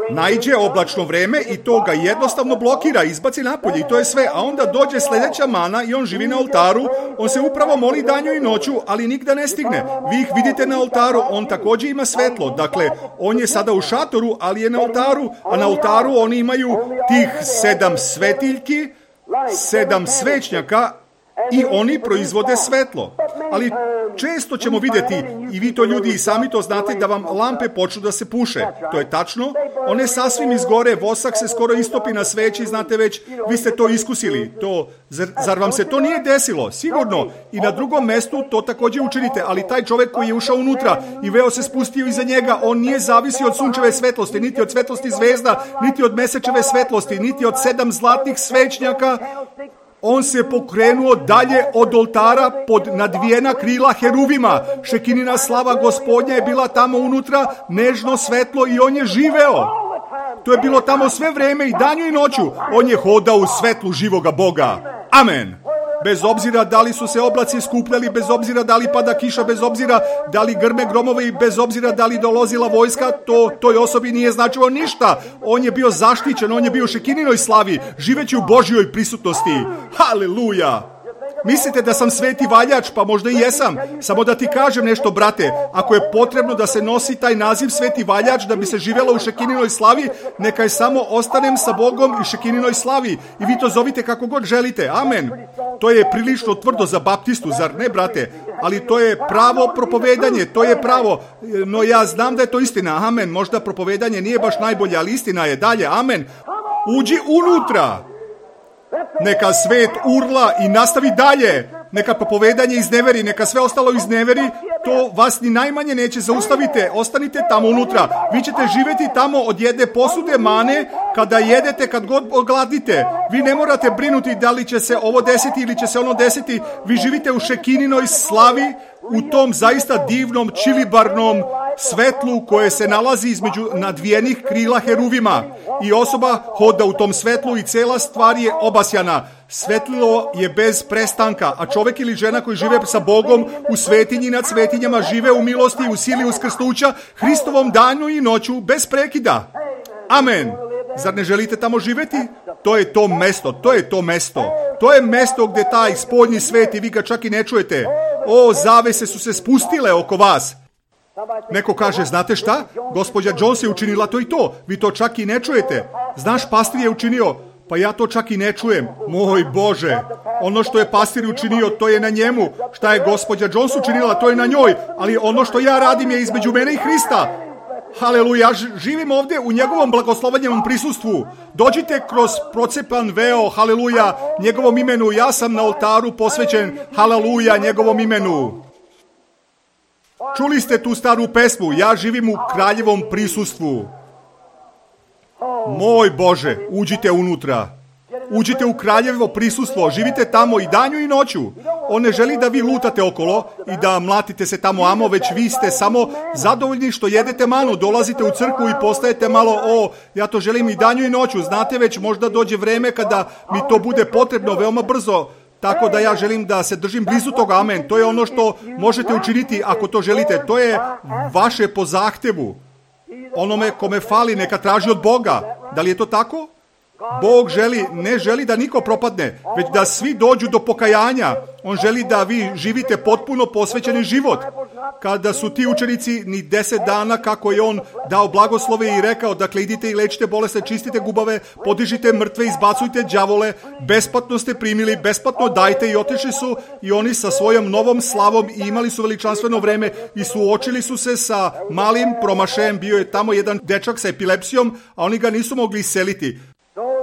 Naiđe oblačno vreme i to ga jednostavno blokira, izbaci napolje i to je sve. A onda dođe sljedeća mana i on živi na oltaru. On se upravo moli danju i noću, ali nigda ne stigne. Vi ih vidite na oltaru, on također ima svetlo. Dakle, on je sada u šatoru, ali je na oltaru, a na oltaru oni imaju tih 7 svetiljki, 7 svećnjaka i oni proizvode svetlo. Ali često ćemo vidjeti, i vi to ljudi i sami to znate, da vam lampe počnu da se puše. To je tačno, one sasvim izgore, vosak se skoro istopi na sveći, znate već, vi ste to iskusili. Zar vam se to nije desilo? Sigurno. I na drugom mestu to također učinite, ali taj čovjek koji je ušao unutra i veo se spustio iza njega, on nije zavisio od sunčeve svetlosti, niti od svetlosti zvezda, niti od mesečeve svetlosti, niti od 7 zlatnih svećnjaka. On se pokrenuo dalje od oltara pod nadvijena krila heruvima. Šekinina slava Gospodnja je bila tamo unutra, nežno svetlo i on je živeo. To je bilo tamo sve vreme i danju i noću. On je hodao u svetlu živoga Boga. Amen. Bez obzira da li su se oblaci skupljali, bez obzira da li pada kiša, bez obzira da li grme gromovi, bez obzira da li dolazila vojska, to toj osobi nije značilo ništa. On je bio zaštićen, on je bio u Šekininoj slavi, živeći u Božjoj prisutnosti. Haleluja! Mislite da sam sveti valjač? Pa možda i jesam. Samo da ti kažem nešto, brate. Ako je potrebno da se nosi taj naziv sveti valjač da bi se živjelo u Šekininoj slavi, neka je samo ostanem sa Bogom i Šekininoj slavi. I vi to zovite kako god želite. Amen. To je prilično tvrdo za baptistu, zar ne, brate? Ali to je pravo propovedanje, to je pravo. No ja znam da je to istina. Amen. Možda propovedanje nije baš najbolje, ali istina je. Dalje. Amen. Uđi unutra. Neka svet urla i nastavi dalje. Neka propovedanje izneveri, neka sve ostalo izneveri. To vas ni najmanje neće zaustaviti. Ostanite tamo unutra. Vi ćete živjeti tamo od jedne posude mane kada jedete, kad god ogladite. Vi ne morate brinuti da li će se ovo desiti ili će se ono desiti. Vi živite u Šekininoj slavi, u tom zaista divnom, čilibarnom svetlu koje se nalazi između nadvijenih krila heruvima. I osoba hoda u tom svetlu i cela stvar je obasjana. Svetlilo je bez prestanka, a čovjek ili žena koji žive sa Bogom u svetinji nad svetinjama žive u milosti i u sili uskrsnuća Hristovom danu i noću bez prekida. Amen. Zar ne želite tamo živjeti? To je to mesto, to je to mesto. To je mesto gdje taj spoljni svet i vi ga čak i ne čujete. O, zavese su se spustile oko vas. Neko kaže, znate šta? Gospođa Jones je učinila to i to. Vi to čak i ne čujete. Znaš, pastir je učinio. Pa ja to čak i ne čujem. Moj Bože, ono što je pastir učinio, to je na njemu. Šta je gospođa Jones učinila, to je na njoj. Ali ono što ja radim je između mene i Hrista. Haleluja, živim ovdje u njegovom blagoslovenjevom prisustvu. Dođite kroz procepan veo, haleluja, njegovom imenu. Ja sam na oltaru posvećen, haleluja, njegovom imenu. Čuli ste tu staru pesmu, ja živim u kraljevom prisustvu. Moj Bože, uđite unutra. Uđite u kraljevo prisustvo, živite tamo i danju i noću. On ne želi da vi lutate okolo i da mlatite se tamo amo, već vi ste samo zadovoljni što jedete manu, dolazite u crkvu i postajete malo, ja to želim i danju i noću. Znate već, možda dođe vreme kada mi to bude potrebno veoma brzo. Tako da ja želim da se držim blizu toga, amen. To je ono što možete učiniti ako to želite. To je vaše po zahtevu. Onome kome fali neka traži od Boga. Da li je to tako? Bog ne želi da niko propadne, već da svi dođu do pokajanja. On želi da vi živite potpuno posvećeni život. Kada su ti učenici ni 10 dana kako je on dao blagoslove i rekao, dakle idite i lečite bolesne, čistite gubave, podižite mrtve, izbacujte đavole, besplatno ste primili, besplatno dajte, i otišli su i oni sa svojom novom slavom i imali su veličanstveno vreme i suočili su se sa malim promašajem. Bio je tamo jedan dečak sa epilepsijom, a oni ga nisu mogli iseliti.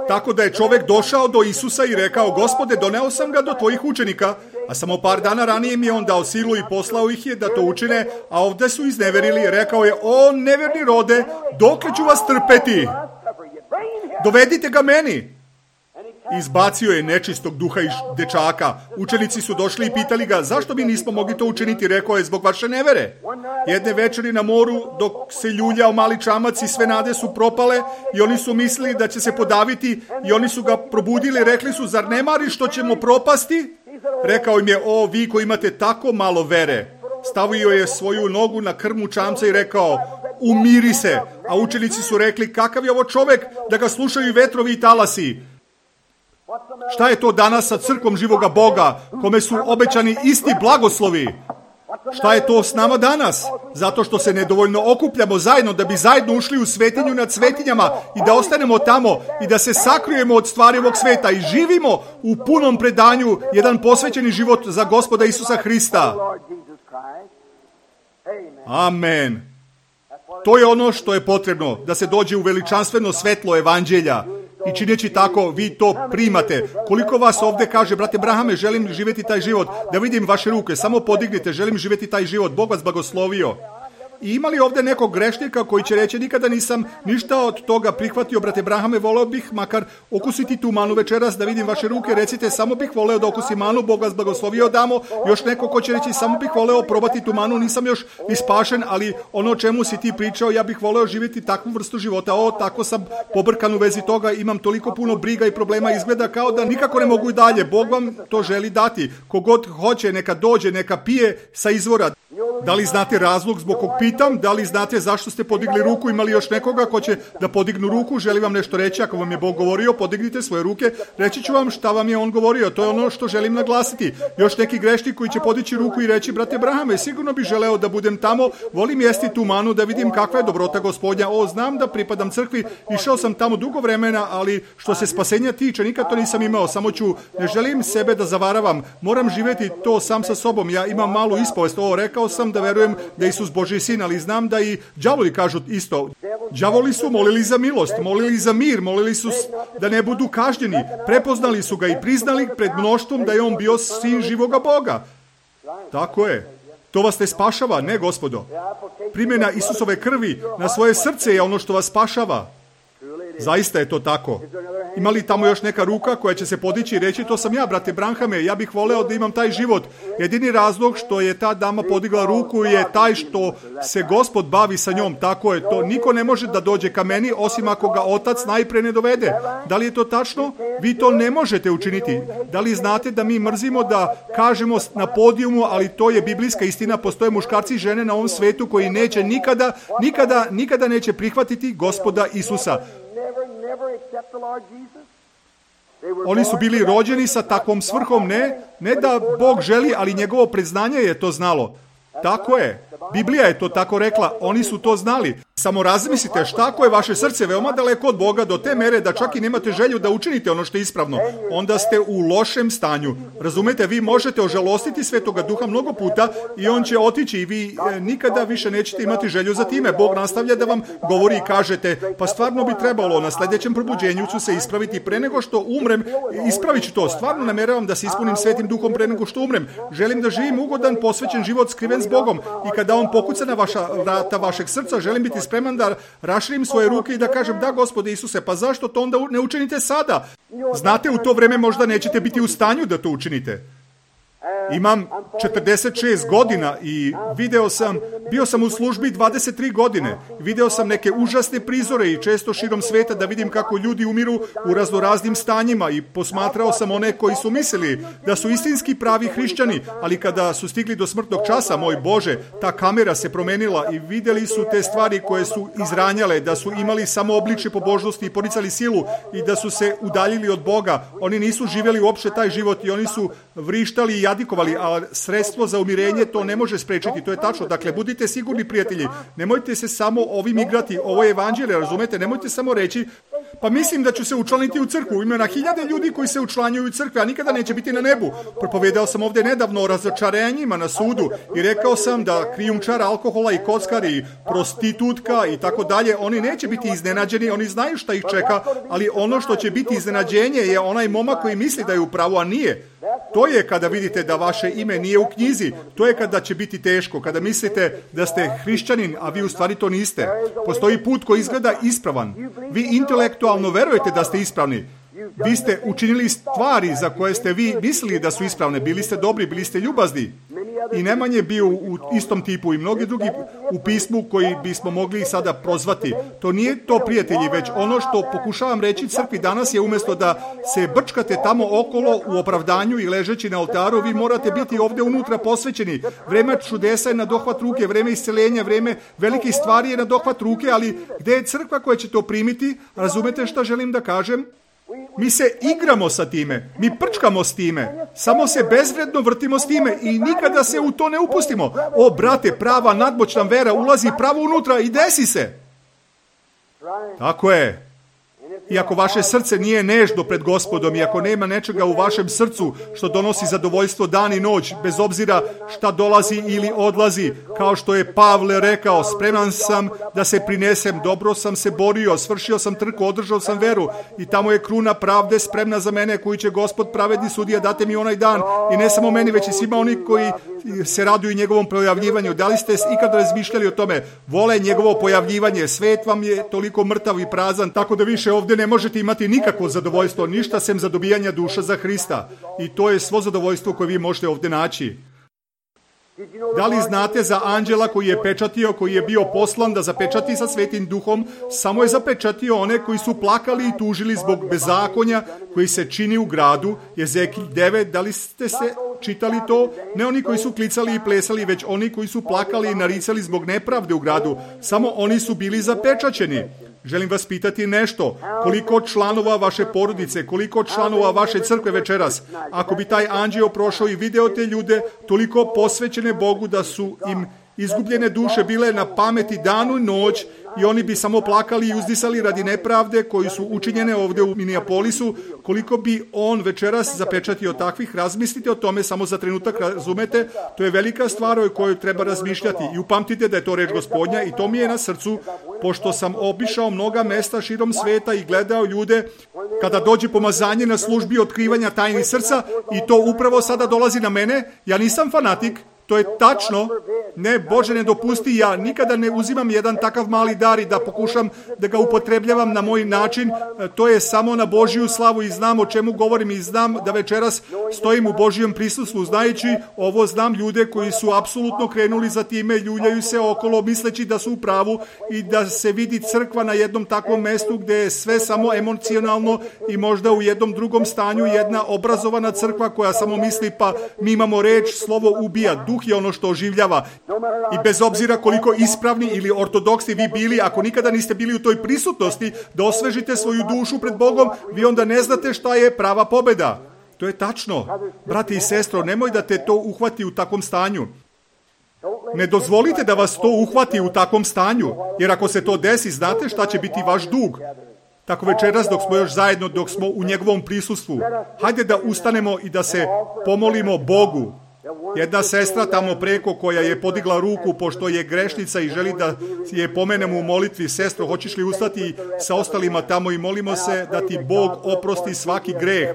Tako da je čovjek došao do Isusa i rekao, Gospode, doneo sam ga do tvojih učenika, a samo par dana ranije mi je on dao silu i poslao ih je da to učine, a ovdje su izneverili. Rekao je, o neverni rode, dokle ću vas trpeti? Dovedite ga meni. Izbacio je nečistog duha iz dečaka. Učenici su došli i pitali ga, zašto mi nismo mogli to učiniti? Rekao je, zbog vaše nevere. Jedne večeri na moru, dok se ljuljao mali čamac i sve nade su propale i oni su mislili da će se podaviti i oni su ga probudili, rekli su, zar ne mari što ćemo propasti? Rekao im je, o vi koji imate tako malo vere. Stavio je svoju nogu na krmu čamca i rekao, umiri se. A učenici su rekli, kakav je ovo čovjek da ga slušaju vetrovi i talasi? Šta je to danas sa crkvom živoga Boga, kome su obećani isti blagoslovi? Šta je to s nama danas? Zato što se nedovoljno okupljamo zajedno da bi zajedno ušli u svetinju nad svetinjama i da ostanemo tamo i da se sakrijemo od stvari ovog sveta i živimo u punom predanju jedan posvećeni život za Gospoda Isusa Hrista. Amen. To je ono što je potrebno, da se dođe u veličanstveno svetlo evanđelja. I čineći tako, vi to primate. Koliko vas ovdje kaže, brate Brahame, želim živjeti taj život, da vidim vaše ruke, samo podignite, želim živjeti taj život, Bog vas blagoslovio. I ima li ovdje nekog grešnika koji će reći, nikada nisam ništa od toga prihvatio, brate Brahame, voleo bih makar okusiti tu manu večeras, da vidim vaše ruke, recite, samo bih voleo da okusim manu, Bog vas blagoslovio, damo. Još neko ko će reći, samo bih voleo probati tu manu, nisam još ispašen, ali ono o čemu si ti pričao, ja bih voleo živjeti takvu vrstu života. Tako sam pobrkan u vezi toga, imam toliko puno briga i problema, izgleda kao da nikako ne mogu i dalje. Bog vam to želi dati. Kogod hoće, neka dođe, neka pije sa izvora. Da li znate razlog zbog kog pitam? Da li znate zašto ste podigli ruku? Ima li još nekoga ko će da podignu ruku? Želi vam nešto reći? Ako vam je Bog govorio, podignite svoje ruke. Reći ću vam šta vam je On govorio. To je ono što želim naglasiti. Još neki grešnik koji će podići ruku i reći, brate Brahame, sigurno bih želeo da budem tamo. Volim jesti tu manu, da vidim kakva je dobrota Gospodnja. Znam da pripadam crkvi. Išao sam tamo dugo vremena, ali što se spasenja tiče, nikad to nisam imao. Samo ne želim sebe da zavaravam. Moram živjeti to sam sa sobom. Ja imam malu ispovest. Rekao sam da verujem da je Isus Božji sin, ali znam da i đavoli kažu isto. Đavoli su molili za milost, molili za mir, molili su da ne budu kažnjeni. Prepoznali su ga i priznali pred mnoštvom da je on bio sin živoga Boga. Tako je. To vas ne spašava, ne gospodo. Primjena Isusove krvi na svoje srce je ono što vas spašava. Zaista je to tako. Ima li tamo još neka ruka koja će se podići i reći, to sam ja, brate Brahame, ja bih voleo da imam taj život. Jedini razlog što je ta dama podigla ruku je taj što se Gospod bavi sa njom. Tako je to. Niko ne može da dođe ka meni osim ako ga Otac najpre ne dovede. Da li je to tačno? Vi to ne možete učiniti. Da li znate da mi mrzimo da kažemo na podijumu, ali to je biblijska istina, postoje muškarci i žene na ovom svetu koji neće nikada neće prihvatiti Gospoda Isusa. Oni su bili rođeni sa takvom svrhom, ne da Bog želi, ali njegovo priznanje je to znalo. Tako je. Biblija je to tako rekla. Oni su to znali. Samo razmislite šta ako je vaše srce veoma daleko od Boga do te mere da čak i nemate želju da učinite ono što je ispravno. Onda ste u lošem stanju. Razumete, vi možete ožalostiti Svetoga Duha mnogo puta i on će otići i vi nikada više nećete imati želju za time. Bog nastavlja da vam govori i kažete, pa stvarno bi trebalo na sljedećem probuđenju ću se ispraviti pre nego što umrem. Ispravit ću to. Stvarno nameravam da se ispunim Svetim Duhom pre nego što umrem. Želim da živim ugodan, posvećen život skriven s Bogom i kada on pokuca na vrata vašeg srca, želim biti spreman da raširim svoje ruke i da kažem, da Gospode Isuse, pa zašto to onda ne učinite sada? Znate, u to vreme možda nećete biti u stanju da to učinite. Imam 46 godina i bio sam u službi 23 godine. Video sam neke užasne prizore i često širom sveta da vidim kako ljudi umiru u raznoraznim stanjima i posmatrao sam one koji su mislili da su istinski pravi hrišćani, ali kada su stigli do smrtnog časa, moj Bože, ta kamera se promenila i vidjeli su te stvari koje su izranjale, da su imali samo obličje pobožnosti i poricali silu i da su se udaljili od Boga. Oni nisu živjeli uopšte taj život i oni su vrištali i jadikovali, ali sredstvo za umirenje to ne može sprečiti, to je tačno. Dakle, budite sigurni, prijatelji, nemojte se samo ovim igrati, ovo je evanđelje, razumete, nemojte samo reći, pa mislim da ću se učlaniti u crkvu. Ima na hiljade ljudi koji se učlanjuju u crkve, a nikada neće biti na nebu. Propovedao sam ovdje nedavno o razočarenjima na sudu i rekao sam da krijumčar alkohola i kockar i prostitutka i tako dalje, oni neće biti iznenađeni, oni znaju šta ih čeka, ali ono što će biti iznenađenje je onaj momak koji misli da je u pravu, a nije. To je kada vidite da vaše ime nije u knjizi. To je kada će biti teško, kada mislite da ste hrišćanin, a vi u stvari to niste. Postoji put koji izgleda ispravan. Vi intelektualno verujete da ste ispravni. Vi ste učinili stvari za koje ste vi mislili da su ispravne. Bili ste dobri, bili ste ljubazni. I Neman je bio u istom tipu i mnogi drugi u pismu koji bismo mogli sada prozvati. To nije to, prijatelji, već ono što pokušavam reći crkvi danas je, umjesto da se brčkate tamo okolo u opravdanju i ležeći na oltaru, vi morate biti ovdje unutra posvećeni. Vreme čudesa je na dohvat ruke, vreme isceljenja, vreme velikih stvari je na dohvat ruke, ali gdje je crkva koja će to primiti? Razumete šta želim da kažem? Mi se igramo sa time, mi prčkamo s time, samo se bezvredno vrtimo s time i nikada se u to ne upustimo. O, brate, prava nadmoćna vera ulazi pravo unutra i desi se. Tako je. I ako vaše srce nije nežno pred Gospodom i ako nema nečega u vašem srcu što donosi zadovoljstvo dan i noć, bez obzira šta dolazi ili odlazi, kao što je Pavle rekao, spreman sam da se prinesem, dobro sam se borio, svršio sam trku, održao sam veru i tamo je kruna pravde spremna za mene koju će Gospod pravedni sudija dati mi onaj dan i ne samo meni već i svima oni koji se raduju njegovom pojavljivanju. Da li ste ikad razmišljali o tome? Vole njegovo pojavljivanje, svet vam je toliko mrtav i prazan, tako da više ovdje ne možete imati nikakvo zadovoljstvo, ništa sem zadobijanja duša za Hrista. I to je svo zadovoljstvo koje vi možete ovdje naći. Da li znate za anđela koji je pečatio, koji je bio poslan da zapečati sa Svetim Duhom, samo je zapečatio one koji su plakali i tužili zbog bezakonja koji se čini u gradu, Jezekilj 9, da li ste se čitali to? Ne oni koji su klicali i plesali, već oni koji su plakali i naricali zbog nepravde u gradu, samo oni su bili zapečaćeni. Želim vas pitati nešto, koliko članova vaše porodice, koliko članova vaše crkve večeras, ako bi taj anđeo prošao i video te ljude, toliko posvećene Bogu da su im izgubljene duše bile na pameti danu i noć i oni bi samo plakali i uzdisali radi nepravde koji su učinjene ovdje u Minneapolisu, koliko bi on večeras zapečatio takvih, razmislite o tome samo za trenutak, razumete, to je velika stvar o kojoj treba razmišljati i upamtite da je to reč Gospodnja i to mi je na srcu, pošto sam obišao mnoga mesta širom sveta i gledao ljude kada dođe pomazanje na službi otkrivanja tajnih srca i to upravo sada dolazi na mene, ja nisam fanatik, to je tačno. Ne, Bože, ne dopusti, ja nikada ne uzimam jedan takav mali dar i da pokušam da ga upotrebljavam na moj način. To je samo na Božju slavu i znam o čemu govorim i znam da večeras stojim u Božjem prisustvu. Znajući ovo, znam ljude koji su apsolutno krenuli za time, ljuljaju se okolo misleći da su u pravu i da se vidi crkva na jednom takvom mestu gdje je sve samo emocionalno i možda u jednom drugom stanju jedna obrazovana crkva koja samo misli pa mi imamo reč, slovo ubija, duh je ono što oživljava. I bez obzira koliko ispravni ili ortodoksni vi bili, ako nikada niste bili u toj prisutnosti da osvežite svoju dušu pred Bogom, vi onda ne znate šta je prava pobjeda. To je tačno. Brati i sestro, nemoj da te to uhvati u takvom stanju. Ne dozvolite da vas to uhvati u takvom stanju, jer ako se to desi, znate šta će biti vaš dug. Tako večeras dok smo još zajedno, dok smo u njegovom prisustvu, hajde da ustanemo i da se pomolimo Bogu. Jedna sestra tamo preko koja je podigla ruku pošto je grešnica i želi da je pomenemo u molitvi, sestro, hoćeš li ustati sa ostalima tamo i molimo se da ti Bog oprosti svaki greh.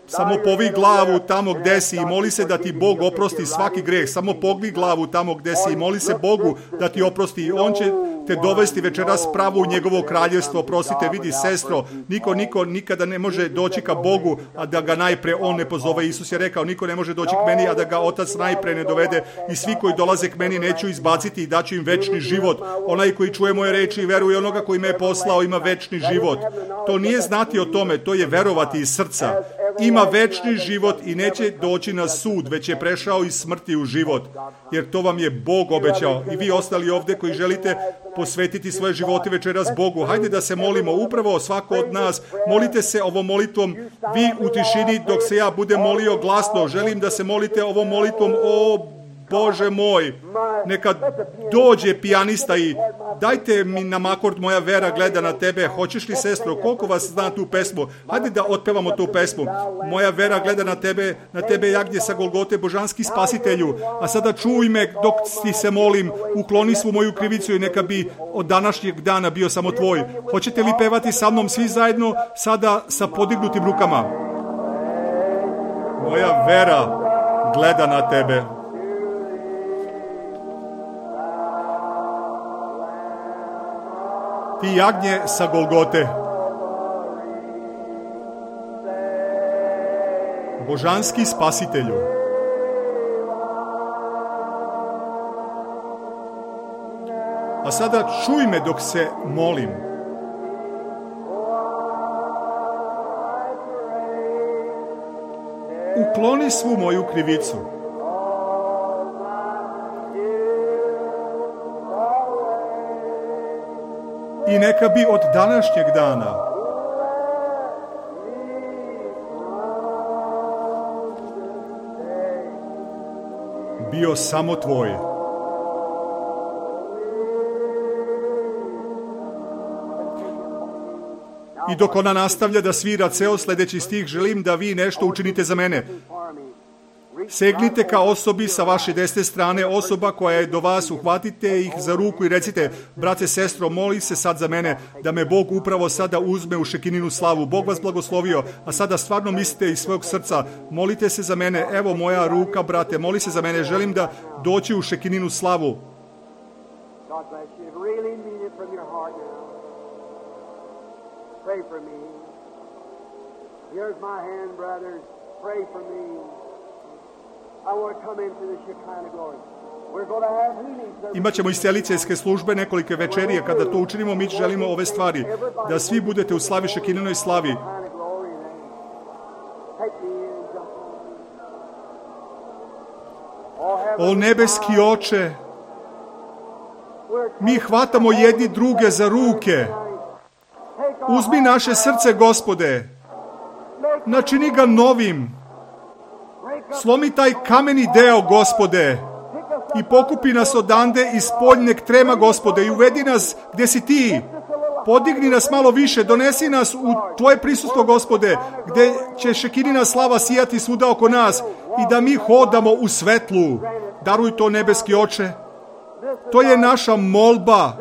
Samo povi glavu tamo gdje si i moli se da ti Bog oprosti svaki greh. Samo pogni glavu tamo gdje si i moli se Bogu da ti oprosti. I on će te dovesti večeras pravo u njegovo kraljevstvo. Prosite, vidi sestro, niko nikada ne može doći ka Bogu, a da ga najpre on ne pozove. Isus je rekao, niko ne može doći k meni, a da ga Otac najpre ne dovede. I svi koji dolaze k meni neću izbaciti i daću im večni život. Onaj koji čuje moje reči i veruje onoga koji me je poslao ima večni život. To nije znati o tome, to je verovati iz srca. Ima večni život i neće doći na sud, već je prešao iz smrti u život. Jer to vam je Bog obećao. I vi ostali ovdje koji želite posvetiti svoje živote večeras Bogu, hajde da se molimo, upravo svako od nas. Molite se ovom molitvom, vi u tišini dok se ja budem molio glasno. Želim da se molite ovom molitvom, o Bože moj, neka dođe pijanista i dajte mi nam akord Moja vera gleda na tebe. Hoćeš li, sestro, koliko vas zna tu pesmu? Hajde da otpevamo tu pesmu. Moja vera gleda na tebe jagnje sa Golgote, božanski spasitelju. A sada čuj me dok ti se molim, ukloni svu moju krivicu i neka bi od današnjeg dana bio samo tvoj. Hoćete li pevati sa mnom svi zajedno sada sa podignutim rukama? Moja vera gleda na tebe. Ti jagnje sa Golgote, božanski spasitelju, a sada čuj me dok se molim. Ukloni svu moju krivicu. I neka bi od današnjeg dana bio samo tvoj. I dok ona nastavlja da svira ceo sljedeći stih, želim da vi nešto učinite za mene. Segnite ka osobi sa vaše desne strane, osoba koja je do vas, uhvatite ih za ruku i recite, brate, sestro, moli se sad za mene da me Bog upravo sada uzme u Šekininu slavu. Bog vas blagoslovio, a sada stvarno mislite iz svog srca, molite se za mene, evo moja ruka, brate, moli se za mene, želim da doći u Šekininu slavu. God bless you. Really mean it from your heart now. Pray for me. Here's my hand, brothers. Pray for me. I want to come into the Shekinah glory. We're going to have healing service. Imaćemo isceliteljske službe nekolike večerije. Kada to učinimo, mi želimo ove stvari. Da svi budete u slavi, Šekininoj slavi. O nebeski Oče, mi hvatamo jedni druge za ruke. Uzmi naše srce, Gospode. Načini ga novim. Slomi taj kameni deo, Gospode. I pokupi nas odande iz spoljneg trema, Gospode. I uvedi nas gdje si ti. Podigni nas malo više. Donesi nas u tvoje prisustvo, Gospode. Gdje će Šekinina slava sijati svuda oko nas. I da mi hodamo u svetlu. Daruj to, nebeski Oče. To je naša molba.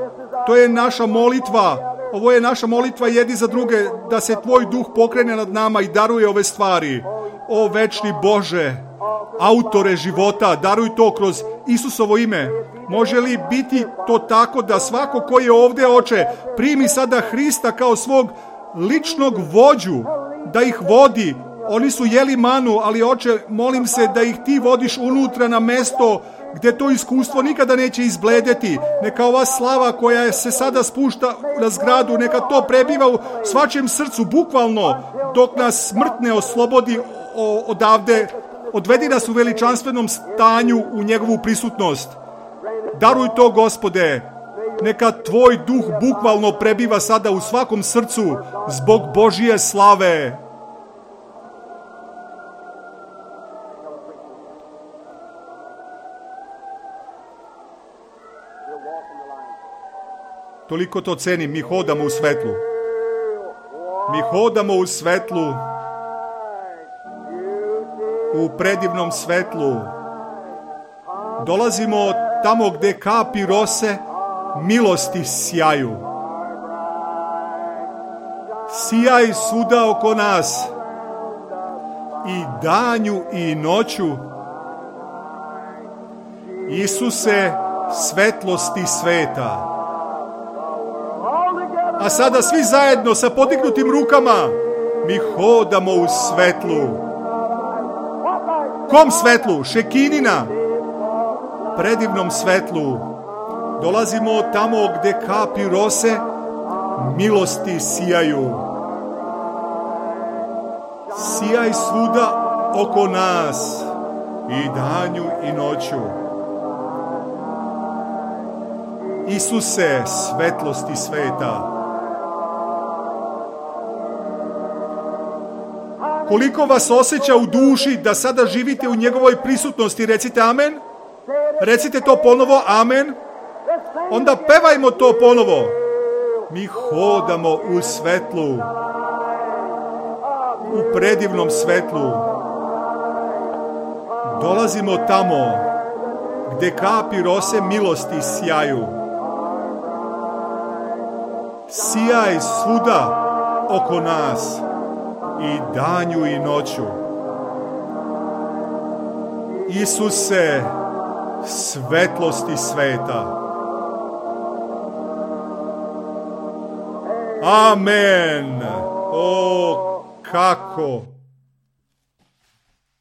To je naša molitva. Ovo je naša molitva jedni za druge, da se tvoj duh pokrene nad nama i daruje ove stvari. O večni Bože, autore života, daruj to kroz Isusovo ime. Može li biti to tako da svako koji je ovdje, Oče, primi sada Hrista kao svog ličnog vođu, da ih vodi? Oni su jeli manu, ali Oče, molim se da ih ti vodiš unutra na mesto gdje to iskustvo nikada neće izbledeti. Neka ova slava koja se sada spušta na zgradu, neka to prebiva u svačem srcu, bukvalno, dok nas smrt ne oslobodi odavde. Odvedi nas u veličanstvenom stanju u njegovu prisutnost. Daruj to, Gospode. Neka tvoj duh bukvalno prebiva sada u svakom srcu zbog Božije slave. Toliko to cenim. Mi hodamo u svetlu. Mi hodamo u svetlu. U predivnom svetlu. Dolazimo tamo gdje kapi rose milosti sjaju. Sijaj svuda oko nas. I danju i noću. Isuse, svetlosti sveta. A sada svi zajedno sa podignutim rukama mi hodamo u svetlu. Kom svetlu? Šekinina. Predivnom svetlu. Dolazimo tamo gdje kapi rose milosti sijaju. Sijaj svuda oko nas i danju i noću. Isuse, svetlosti sveta. Koliko vas osjeća u duši da sada živite u njegovoj prisutnosti? Recite amen. Recite to ponovo, amen. Onda pevajmo to ponovo. Mi hodamo u svetlu. U predivnom svetlu. Dolazimo tamo gdje kapi rose milosti sjaju. Sijaj svuda oko nas i danju i noću. Isuse, svetlosti sveta. Amen. O, kako